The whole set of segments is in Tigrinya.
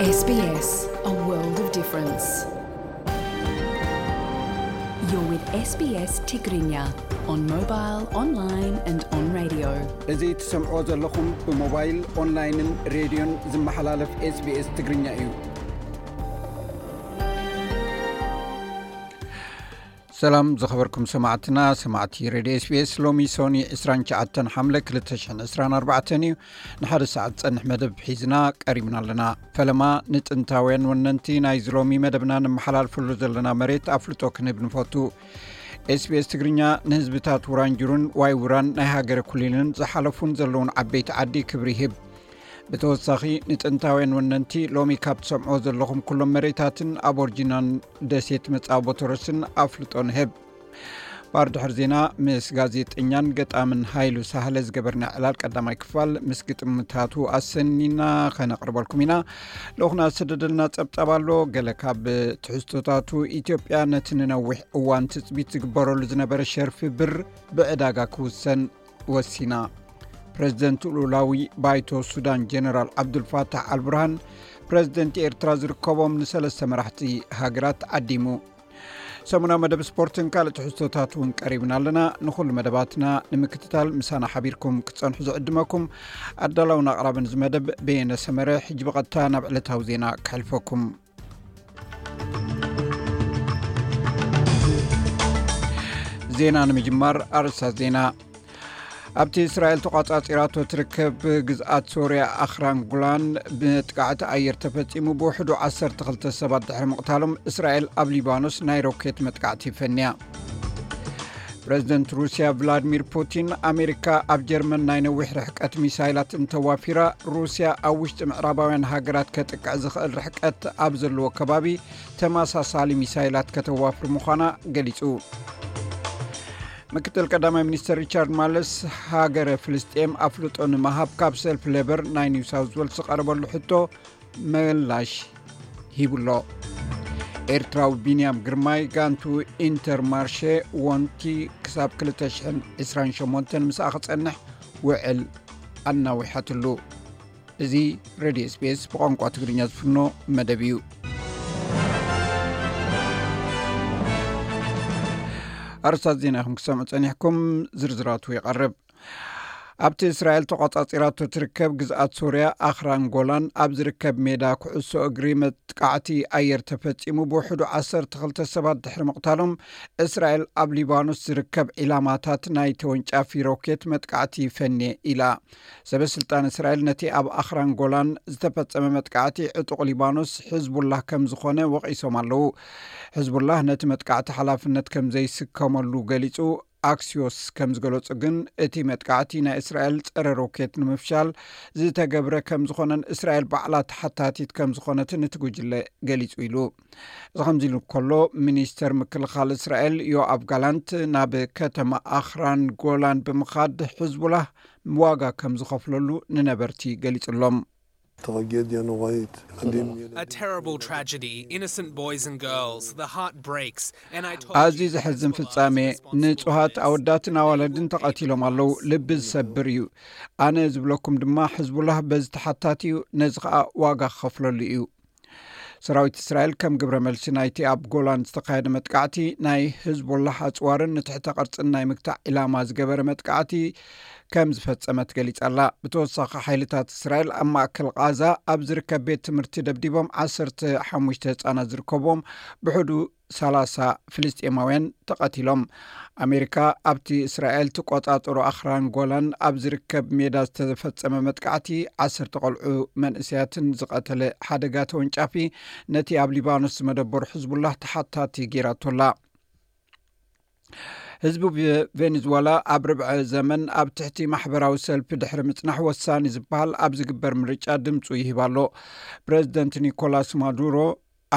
S B S, a world of difference. You're with S B S Tigrinya on mobile, online and on radio. እዚ ትሰምዕዎ ዘለኹም ብሞባይል፣ ኦንላይንን ሬድዮን ዝመሓላለፍ SBS ትግርኛ እዩ። ሰላም ዝኸበርኩም ሰማዕትና፣ ሰማዕቲ ሬድዮ SBS። ሎሚ ሶኒ ዕስራን ትሽዓተን ሓምለ ክልተ ሽሕን ዕስራን ኣርባዕተን እዩ። ንሓደ ሰዓት ዝጸንሕ መደብ ሒዝና ቀሪብና ኣለና። ፈለማ ንጥንታውያን ወነንቲ ናይዚ ሎሚ መደብና ንመሓላልፈሉ ዘለና መሬት ኣፍልጦ ክንህብ ንፈቱ። SBS ትግርኛ ንህዝብታት ውራንጁሩን ዋይ ውራን ናይ ሃገረ ኩሊልን ዝሓለፉን ዘለውን ዓበይቲ ዓዲ ክብሪ ይህብ። ብተወሳኺ ንጥንታውያን ወነንቲ ሎሚ ካብ ትሰምዕዎ ዘለኹም ኩሎም መሬታትን ኣቦርጂናን ደሴት መጻወቦ ቶረስን ኣፍልጦ ንህብ። ባር ድሕሪ ዜና ምስ ጋዜጠኛን ገጣምን ሃይሉ ሳህለ ዝገበርና ዕላል ቀዳማይ ክፋል ምስ ግጥምታቱ ኣሰኒና ኸነቕርበልኩም ኢና። ልኡኽና ዝሰደደልና ጸብጻብ ኣሎ። ገለ ካብ ትሕዝቶታቱ፣ ኢትዮጵያ ነቲ ንነዊሕ እዋን ትጽቢት ዝግበረሉ ዝነበረ ሸርፊ ብር ብዕዳጋ ክውሰን ወሲና። ፕረዚደንት ልኡላዊ ባይቶ ሱዳን ጀነራል ዓብዱልፋታሕ ኣልቡርሃን ፕረዚደንት ኤርትራ ዝርከቦም ንሰለስተ መራሕቲ ሃገራት ዓዲሙ። ሰሙናዊ መደብ ስፖርትን ካልእ ትሕዝቶታት እውን ቀሪብና ኣለና። ንኹሉ መደባትና ንምክትታል ምሳና ሓቢርኩም ክትጸንሑ ዝዕድመኩም ኣዳላውን ኣቕራብን እዚ መደብ በየነ ሰመረ። ሕጂ ብቐጥታ ናብ ዕለታዊ ዜና ከሕልፈኩም። ዜና ንምጅማር ኣርእስታት ዜና። ኣብቲ እስራኤል ተቋጻጺራቶ ትርከብ ግዝኣት ሶርያ ኣኽራን ጉላን መጥቃዕቲ ኣየር ተፈጺሙ፣ ብውሕዱ ዓሰርተ ክልተ ሰባት ድሕሪ ምቕታሎም፣ እስራኤል ኣብ ሊባኖስ ናይ ሮኬት መጥቃዕቲ ፈንያ። ፕረዚደንት ሩስያ ቭላድሚር ፑቲን፣ ኣሜሪካ ኣብ ጀርመን ናይ ነዊሕ ርሕቀት ሚሳይላት እንተዋፊራ፣ ሩስያ ኣብ ውሽጢ ምዕራባውያን ሃገራት ከጥቅዕ ዝኽእል ርሕቀት ኣብ ዘለዎ ከባቢ ተመሳሳሊ ሚሳይላት ከተዋፍር ምዃና ገሊጹ። ምክትል ቀዳማይ ሚኒስትር ሪቻርድ ማለስ፣ ሃገረ ፍልስጤም ኣፍልጦ ንምሃብ ካብ ሰልፊ ሌበር ናይ ኒው ሳውዝ ዌልስ ዝቐረበሉ ሕቶ ምላሽ ሂቡሎ። ኤርትራዊ ቢንያም ግርማይ ጋንቱ ኢንተርማርሼ ወንቲ ክሳብ ክልተ ሽሕን ዕስራን ሸሞንተን ምስኣ ክጸንሕ ውዕል ኣናዊሓትሉ። እዚ ሬድዮ SBS ብቋንቋ ትግርኛ ዝፍኖ መደብ እዩ። ኣርእስታት ዜና ኢኹም ክሰምዑ ጸኒሕኩም፣ ዝርዝራቱ ይቐርብ። ኣብቲ እስራኤል ተቋጻጺራቶ ትርከብ ግዝኣት ሶርያ ኣኽራን ጎላን ኣብ ዝርከብ ሜዳ ኩዕሶ እግሪ መጥቃዕቲ ኣየር ተፈጺሙ፣ ብውሕዱ ዓሰርተ ክልተ ሰባት ድሕሪ ምቕታሎም፣ እስራኤል ኣብ ሊባኖስ ዝርከብ ዒላማታት ናይ ተወንጫፊ ሮኬት መጥቃዕቲ ፈንየ ኢላ። ሰበ ስልጣን እስራኤል ነቲ ኣብ ኣኽራን ጎላን ዝተፈጸመ መጥቃዕቲ ዕጡቕ ሊባኖስ ሕዝቡላህ ከም ዝኾነ ወቒሶም ኣለዉ። ሕዝቡላህ ነቲ መጥቃዕቲ ሓላፍነት ከም ዘይስከመሉ ገሊጹ። ኣክሲዮስ ከም ዝገለጹ ግን፣ እቲ መጥቃዕቲ ናይ እስራኤል ጸረ ሮኬት ንምፍሻል ዝተገብረ ከም ዝኾነን እስራኤል ባዕላ ተሓታቲት ከም ዝኾነትን እቲ ጉጅለ ገሊጹ ኢሉ። እዚ ከምዚ ኢሉ ከሎ፣ ሚኒስተር ምክልኻል እስራኤል ዮኣብ ጋላንት ናብ ከተማ ኣኽራን ጎላን ብምኻድ፣ ሕዝቡላህ ዋጋ ከም ዝኸፍለሉ ንነበርቲ ገሊጹሎም። טራጌድያ ኖራית። A terrible tragedy. Innocent boys and girls. The heart breaks. And I told ኣዝዩ ዘሕዝን ፍጻሜ። ንጹሃት ኣወዳትን ኣዋለድን ተቐቲሎም ኣለዉ። ልቢ ዝሰብር እዩ። ኣነ ዝብለኩም ድማ፣ ሕዝቡላህ በዚ ተሓታቲ እዩ፣ ነዚ ኸኣ ዋጋ ክኸፍለሉ እዩ። ሰራዊት እስራኤል ከም ግብረ መልሲ ናይቲ ኣብ ጎላን ዝተኻየደ መጥቃዕቲ፣ ናይ ሕዝቡላህ ኣጽዋርን ንትሕተ ቅርጽን ናይ ምግታእ ዒላማ ዝገበረ መጥቃዕቲ ከም ዝፈጸመት ገሊጻ ኣላ። ብተወሳኺ፣ ሓይልታት እስራኤል ኣብ ማእከል ቓዛ ኣብ ዝርከብ ቤት ትምህርቲ ደብዲቦም፣ ዓሰርተ ሓሙሽተ ህጻናት ዝርከብዎም ብሕዱ ሰላሳ ፍልስጤማውያን ተቐቲሎም። ኣሜሪካ ኣብቲ እስራኤል ትቆጻጸሮ ኣኽራን ጎላን ኣብ ዝርከብ ሜዳ ዝተፈጸመ መጥቃዕቲ፣ ዓሰርተ ቆልዑ መንእሰያትን ዝቐተለ ሓደጋ ተወንጫፊ፣ ነቲ ኣብ ሊባኖስ ዝመደበሩ ሕዝቡላህ ተሓታቲ ጌራቶ ኣላ። ህዝቢ ቬ-፣ ቬኔዙዌላ ኣብ ርብዐ ዘመን ኣብ ትሕቲ ማሕበራዊ ሰልፊ ድሕሪ ምጽናሕ፣ ወሳኒ ዝበሃል ኣብ ዝግበር ምርጫ ድምጹ ይህብ ኣሎ። ፕረዚደንት ኒኮላስ ማዱሮ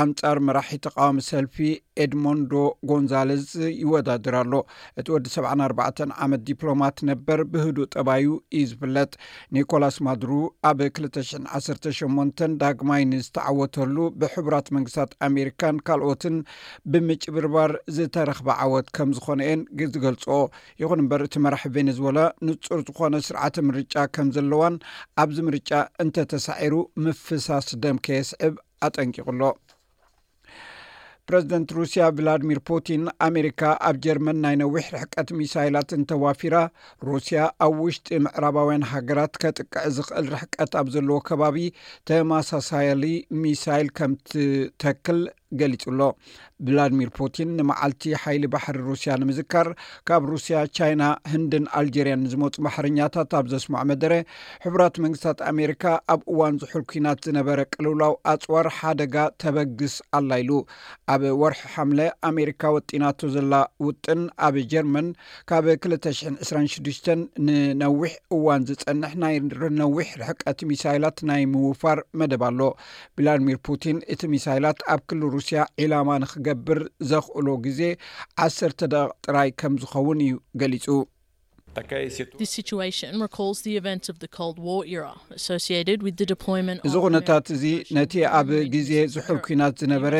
ኣንጻር መራሒ ተቃዋሚ ሰልፊ ኤድሞንዶ ጎንዛለዝ ይወዳደር ኣሎ። እቲ ወዲ ሰብዓን ኣርባዕተን ዓመት ዲፕሎማት ነበር ብህዱእ ጠባዩ እዩ ዝፍለጥ። ኒኮላስ ማዱሮ ኣብ ክልተ ሽሕን ዓሰርተ ሸሞንተን ዳግማይ ንዝተዓወተሉ ብሕቡራት መንግስታት ኣሜሪካን ካልኦትን ብምጭብርባር ዝተረኽበ ዓወት ከም ዝኾነ እየን ዝገልጾ። ይኹን እምበር እቲ መራሒ ቬኔዙዌላ ንጹር ዝኾነ ስርዓተ ምርጫ ከም ዘለዋን ኣብዚ ምርጫ እንተተሳዒሩ ምፍሳስ ደም ከየስዕብ ኣጠንቂቑ ኣሎ። ፕረዚደንት ሩስያ ቭላድሚር ፑቲን ኣሜሪካ ኣብ ጀርመን ናይ ነዊሕ ርሕቀት ሚሳይላት እንተዋፊራ ሩስያ ኣብ ውሽጢ ምዕራባውያን ሃገራት ከጥቅዕ ዝኽእል ርሕቀት ኣብ ዘለዎ ከባቢ ተመሳሳሊ ሚሳይል ከም ትተክል ገሊጹ ኣሎ። ቭላድሚር ፑቲን ንመዓልቲ ሓይሊ ባሕሪ ሩስያ ንምዝካር ካብ ሩስያ፣ ቻይና፣ ህንድን ኣልጀርያን ንዝመፁ ባሕረኛታት ኣብ ዘስምዖ መደረ፣ ሕቡራት መንግስታት ኣሜሪካ ኣብ እዋን ዝሑል ኲናት ዝነበረ ቅልውላው ኣፅዋር ሓደጋ ተበግስ ኣላ ኢሉ። ኣብ ወርሒ ሓምለ ኣሜሪካ ወጢናቶ ዘላ ውጥን ኣብ ጀርመን ካብ ክልተ ሽሕን ዕስራን ሽዱሽተን ንነዊሕ እዋን ዝጸንሕ ናይ ነዊሕ ርሕቀት ሚሳይላት ናይ ምውፋር መደብ ኣሎ። ቭላድሚር ፑቲን እቲ ሚሳይላት ኣብ ክልል ሩስያ ዒላማ ንክገብር ዘኽእሎ ግዜ ዓሰርተ ደቂቕ ጥራይ ከም ዝኸውን እዩ ገሊጹ። This situation recalls the events of the Cold War era associated with the deployment እዚ of ኩነታት እዚ ነቲ ኣብ ግዜ ዝሑል ኲናት ዝነበረ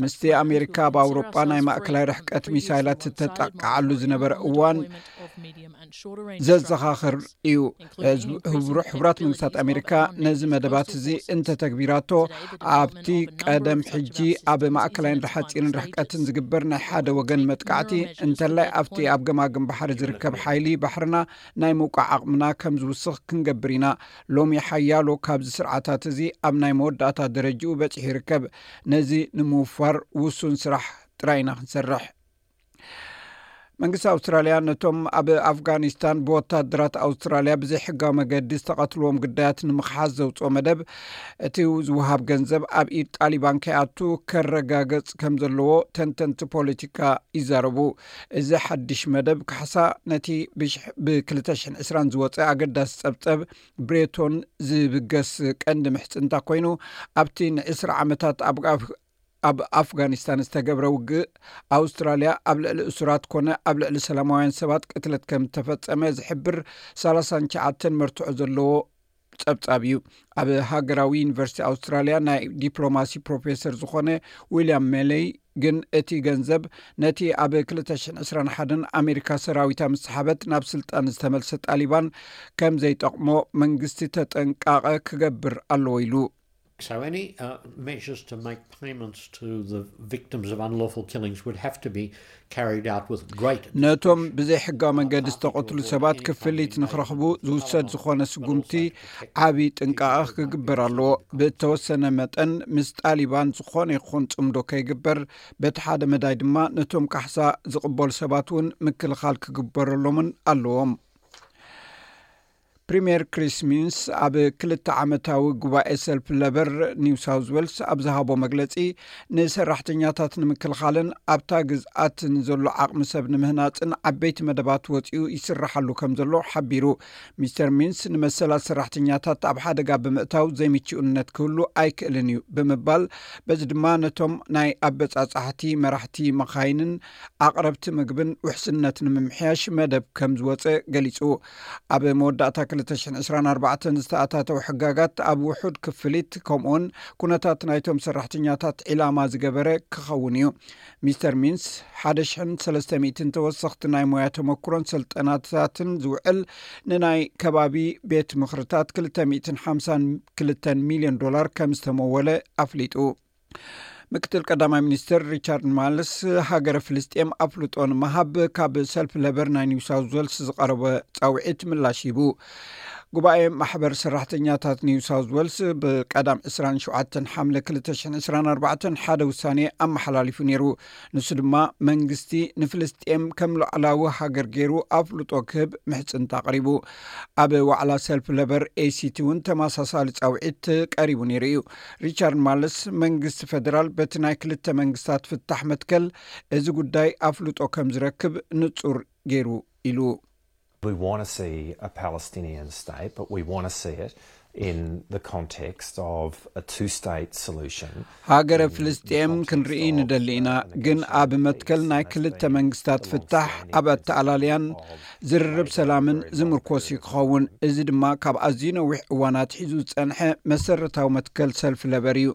ምስቲ ኣሜሪካ ኣብ ኣውሮጳ ናይ ማእከላይ ርሕቀት ሚሳይላት ዝተጠቃዓሉ ዝነበረ እዋን ዘዘኻኽር እዩ። ሕቡራት መንግስታት ኣሜሪካ ነዚ መደባት እዚ እንተተግቢራቶ ኣብቲ ቀደም ሕጂ ኣብ ማእከላይን ሓፂርን ርሕቀትን ዝግበር ናይ ሓደ ወገን መጥቃዕቲ እንተላይ ኣብቲ ኣብ ገማግም ባሕሪ ዝርከብ ሓይሊ ባሕርና ናይ ምውቃዕ ዓቕምና ከም ዝውስኽ ክንገብር ኢና። ሎሚ ሓያሎ ካብዚ ስርዓታት እዚ ኣብ ናይ መወዳእታ ደረጃኡ በጺሑ ይርከብ። ነዚ ንምውፋር ውሱን ስራሕ ጥራይ ኢና ክንሰርሕ። መንግስቲ ኣውስትራልያ ነቶም ኣብ ኣፍጋኒስታን ብወታደራት ኣውስትራልያ ብዘይሕጋዊ መገዲ ዝተቐትልዎም ግዳያት ንምኽሓስ ዘውፅኦ መደብ እቲ ዝወሃብ ገንዘብ ኣብ ኢድ ጣሊባን ከይኣቱ ከረጋገጽ ከም ዘለዎ ተንተንቲ ፖለቲካ ይዛረቡ። እዚ ሓድሽ መደብ ካሕሳ ነቲ ብ ክልተ ሽሕን ዕስራን ዝወፀ ኣገዳሲ ጸብጸብ ብሬቶን ዝብገስ ቀንዲ ምሕጽንታ ኮይኑ ኣብቲ ንዕስራ ዓመታት ኣብ ኣብ ኣፍጋኒስታን ዝተገብረ ውግእ ኣውስትራልያ ኣብ ልዕሊ እሱራት ኮነ ኣብ ልዕሊ ሰላማውያን ሰባት ቅትለት ከም ዝተፈጸመ ዝሕብር ሰላሳን ትሽዓተን መርትዖ ዘለዎ ጸብጻብ እዩ። ኣብ ሃገራዊ ዩኒቨርሲቲ ኣውስትራልያ ናይ ዲፕሎማሲ ፕሮፌሰር ዝኾነ ዊልያም ሜለይ ግን እቲ ገንዘብ ነቲ ኣብ ክልተ ሽሕን ዕስራን ሓደን ኣሜሪካ ሰራዊታ ምስ ሰሓበት ናብ ስልጣን ዝተመልሰ ጣሊባን ከም ዘይጠቕሞ መንግስቲ ተጠንቃቐ ክገብር ኣለዎ ኢሉ። So any uh, measures to make payments to the victims of unlawful killings would have to be carried out with great ነቶም ብዘይ ሕጋዊ መንገዲ ዝተቐትሉ ሰባት ክፍሊት ንክረኽቡ ዝውሰድ ዝኾነ ስጉምቲ ዓቢ ጥንቃቐ ክግበር ኣለዎ። ብእተወሰነ መጠን ምስ ጣሊባን ዝኾነ ይኹን ጽምዶ ከይግበር፣ በቲ ሓደ መዳይ ድማ ነቶም ካሕሳ ዝቕበሉ ሰባት እውን ምክልኻል ክግበረሎምን ኣለዎም። ፕሪምየር ክሪስ ሚንስ ኣብ ክልተ ዓመታዊ ጉባኤ ሰልፊ ለበር ኒው ሳውዝ ዌልስ ኣብ ዝሃቦ መግለጺ፣ ንሰራሕተኛታት ንምክልኻልን ኣብታ ግዝኣት ንዘሎ ዓቕሚ ሰብ ንምህናጽን ዓበይቲ መደባት ወጺኡ ይስርሓሉ ከም ዘሎ ሓቢሩ። ሚስተር ሚንስ ንመሰላት ሰራሕተኛታት ኣብ ሓደጋ ብምእታው ዘይምችኡነት ክህሉ ኣይክእልን እዩ ብምባል፣ በዚ ድማ ነቶም ናይ ኣበጻጻሕቲ መራሕቲ መኻይንን ኣቕረብቲ ምግብን ውሕስነት ንምምሕያሽ መደብ ከም ዝወጸ ገሊጹ። ኣብ መወዳእታ ክልተ ሽሕን ዕስራን ኣርባዕተን ዝተኣታተው ሕጋጋት ኣብ ውሑድ ክፍሊት ከምኡውን ኩነታት ናይቶም ሰራሕተኛታት ዒላማ ዝገበረ ክኸውን እዩ። ሚስተር ሚንስ ሓደ ሽሕን ሰለስተ ሚእትን ተወሰኽቲ ናይ ሞያ ተመክሮን ስልጠናታትን ዝውዕል ንናይ ከባቢ ቤት ምኽርታት ክልተ ሚእትን ሓምሳን ክልተን ሚልዮን ዶላር ከም ዝተመወለ ኣፍሊጡ። ምክትል ቀዳማይ ሚኒስትር ሪቻርድ ማልስ ሃገረ ፍልስጤም ኣፍልጦ ንምሃብ ካብ ሰልፊ ለበር ናይ ኒው ሳውዝ ዌልስ ዝቐረበ ጻውዒት ምላሽ ሂቡ። ጉባኤ ማሕበር ሰራሕተኛታት ኒው ሳውዝ ዌልስ ብቀዳም ዕስራን ሸውዓተን ሓምለ ክልተ ሽሕን ዕስራን ኣርባዕተን ሓደ ውሳኔ ኣመሓላሊፉ ነይሩ። ንሱ ድማ መንግስቲ ንፍልስጤም ከም ሉዓላዊ ሃገር ገይሩ ኣፍልጦ ክህብ ምሕጽንታ ኣቕሪቡ። ኣብ ዋዕላ ሰልፊ ለበር ኤሲቲ እውን ተመሳሳሊ ጻውዒት ቀሪቡ ነይሩ እዩ። ሪቻርድ ማልስ መንግስቲ ፈደራል በቲ ናይ ክልተ መንግስታት ፍታሕ መትከል እዚ ጉዳይ ኣፍልጦ ከም ዝረክብ ንጹር ገይሩ ኢሉ። We want to see a Palestinian state, but we want to see it in the context of a two-state solution. ሃገረ ፍልስጤም ክንርኢ ንደሊ ኢና፣ ግን ኣብ መትከል ናይ ክልተ መንግስታት ፍታሕ ኣብ ኣተኣላልያን ዝርርብ ሰላምን ዝምርኮስ እዩ ክኸውን። እዚ ድማ ካብ ኣዝዩ ነዊሕ እዋን ኣትሒዙ ዝጸንሐ መሰረታዊ መትከል ሰልፊ ለበር እዩ።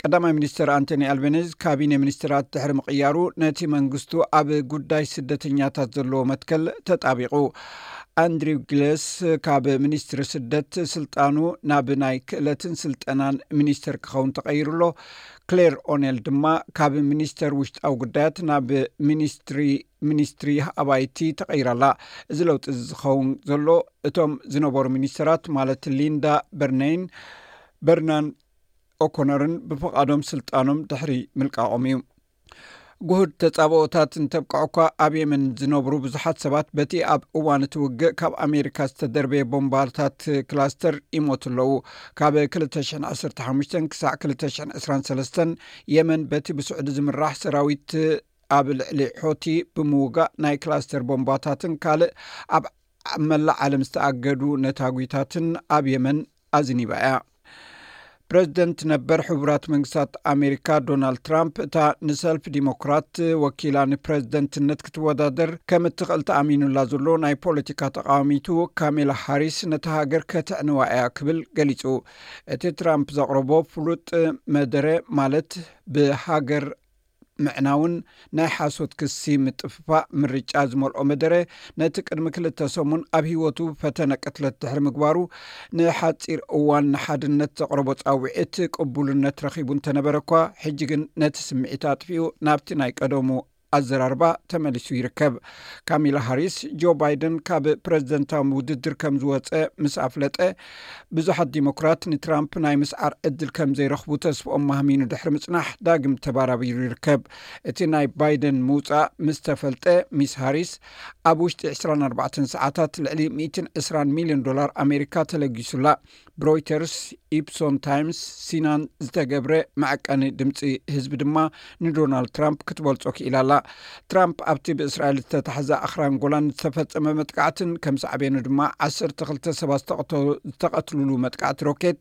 ቀዳማይ ሚኒስትር ኣንቶኒ ኣልቤኒዝ ካቢነ ሚኒስትራት ድሕሪ ምቕያሩ፣ ነቲ መንግስቱ ኣብ ጉዳይ ስደተኛታት ዘለዎ መትከል ተጣቢቑ። ኣንድሪው ግለስ ካብ ሚኒስትሪ ስደት ስልጣኑ ናብ ናይ ክእለትን ስልጠናን ሚኒስተር ክኸውን ተቐይሩ ኣሎ። ክሌር ኦኔል ድማ ካብ ሚኒስተር ውሽጣዊ ጉዳያት ናብ ሚኒስትሪ ሚኒስትሪ ኣባይቲ ተቐይራላ። እዚ ለውጢ እዚ ዝኸውን ዘሎ፣ እቶም ዝነበሩ ሚኒስተራት ማለት ሊንዳ በርነይን በርናን ኦኮነርን ብፍቓዶም ስልጣኖም ድሕሪ ምልቃቖም እዩ። ጉሁድ ተጻብኦታት እንተብቅዖ እኳ፣ ኣብ የመን ዝነብሩ ብዙሓት ሰባት በቲ ኣብ እዋን እቲ ውግእ ካብ ኣሜሪካ ዝተደርበየ ቦምባታት ክላስተር ይሞቱ ኣለዉ። ካብ ክልተ ሽሕን ዓሰርተ ሓሙሽተን ክሳዕ ክልተ ሽሕን ዕስራን ሰለስተን፣ የመን በቲ ብስዑዲ ዝምራሕ ሰራዊት ኣብ ልዕሊ ሖቲ ብምውጋእ፣ ናይ ክላስተር ቦምባታትን ካልእ ኣብ ኣብ መላእ ዓለም ዝተኣገዱ ነታጒታትን ኣብ የመን ኣዝኒባ እያ። ፕረዚደንት ነበር ሕቡራት መንግስታት ኣሜሪካ ዶናልድ ትራምፕ፣ እታ ንሰልፊ ዲሞክራት ወኪላ ንፕረዚደንትነት ክትወዳደር ከም እትኽእል ተኣሚኑላ ዘሎ ናይ ፖለቲካ ተቃዋሚቱ ካሜላ ሃሪስ፣ ነታ ሃገር ከተዕንዋ እያ ክብል ገሊጹ። እቲ ትራምፕ ዘቕረቦ ፍሉጥ መደረ፣ ማለት ብሃገር ምዕናውን ናይ ሓሶት ክሲ ምጥፍፋእ ምርጫ ዝመልኦ መደረ፣ ነቲ ቅድሚ ክልተ ሰሙን ኣብ ህይወቱ ፈተነ ቅትለት ድሕሪ ምግባሩ፣ ንሓጺር እዋን ንሓድነት ዘቕረቦ ጻውዒት ቅቡልነት ረኺቡ እንተነበረ እኳ፣ ሕጂ ግን ነቲ ስምዒት ኣጥፊኡ ናብቲ ናይ ቀደሙ ኣዘራርባ ተመሊሱ ይርከብ። ካሚላ ሃሪስ፣ ጆ ባይደን ካብ ፕረዚደንታዊ ውድድር ከም ዝወጸ ምስ ኣፍለጠ፣ ብዙሓት ዲሞክራት ንትራምፕ ናይ ምስዓር ዕድል ከም ዘይረኽቡ ተስፍኦም ማህሚኑ ድሕሪ ምጽናሕ፣ ዳግም ተባራቢሩ ይርከብ። እቲ ናይ ባይደን ምውጻእ ምስ ተፈልጠ፣ ሚስ ሃሪስ ኣብ ውሽጢ ዕስራን ኣርባዕተን ሰዓታት ልዕሊ ሚእትን ዕስራን ሚልዮን ዶላር ኣሜሪካ ተለጊሱላ። ብሮይተርስ፣ ኢፕሶን ታይምስ፣ ሲናን ዝተገብረ መዐቀኒ ድምጺ ህዝቢ ድማ ንዶናልድ ትራምፕ ክትበልጾ ክኢላ ኣላ። ትራምፕ ኣብቲ ብእስራኤል ዝተታሕዘ ኣኽራን ጎላን ዝተፈጸመ መጥቃዕትን ከም ሳዕቤኑ ድማ ዓሰርተ ክልተ ሰባት ዝተቐተ-፣ ዝተቐትሉሉ መጥቃዕቲ ሮኬት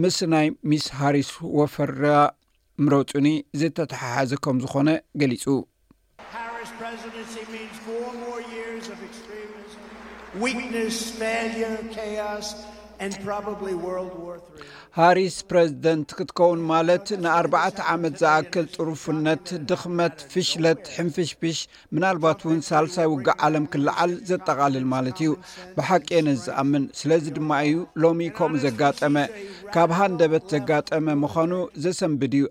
ምስ ናይ ሚስ ሃሪስ ወፈራ ምረጹኒ ዝተተሓሓዘ ከም ዝኾነ ገሊጹ። Harris presidency means four more years of extremism, weakness, failure, chaos, and probably World War three. ሃሪስ ፕረዚደንት ክትከውን ማለት ንኣርባዕተ ዓመት ዝኣክል ጥሩፍነት፣ ድኽመት፣ ፍሽለት፣ ሕንፍሽፍሽ፣ ምናልባት እውን ሳልሳይ ውግእ ዓለም ክለዓል ዘጠቓልል ማለት እዩ። ብሓቂ እየ ነዚ ዝኣምን። ስለዚ ድማ እዩ ሎሚ ከምኡ ዘጋጠመ። ካብ ሃንደበት ዘጋጠመ ምዃኑ ዘሰንብድ እዩ።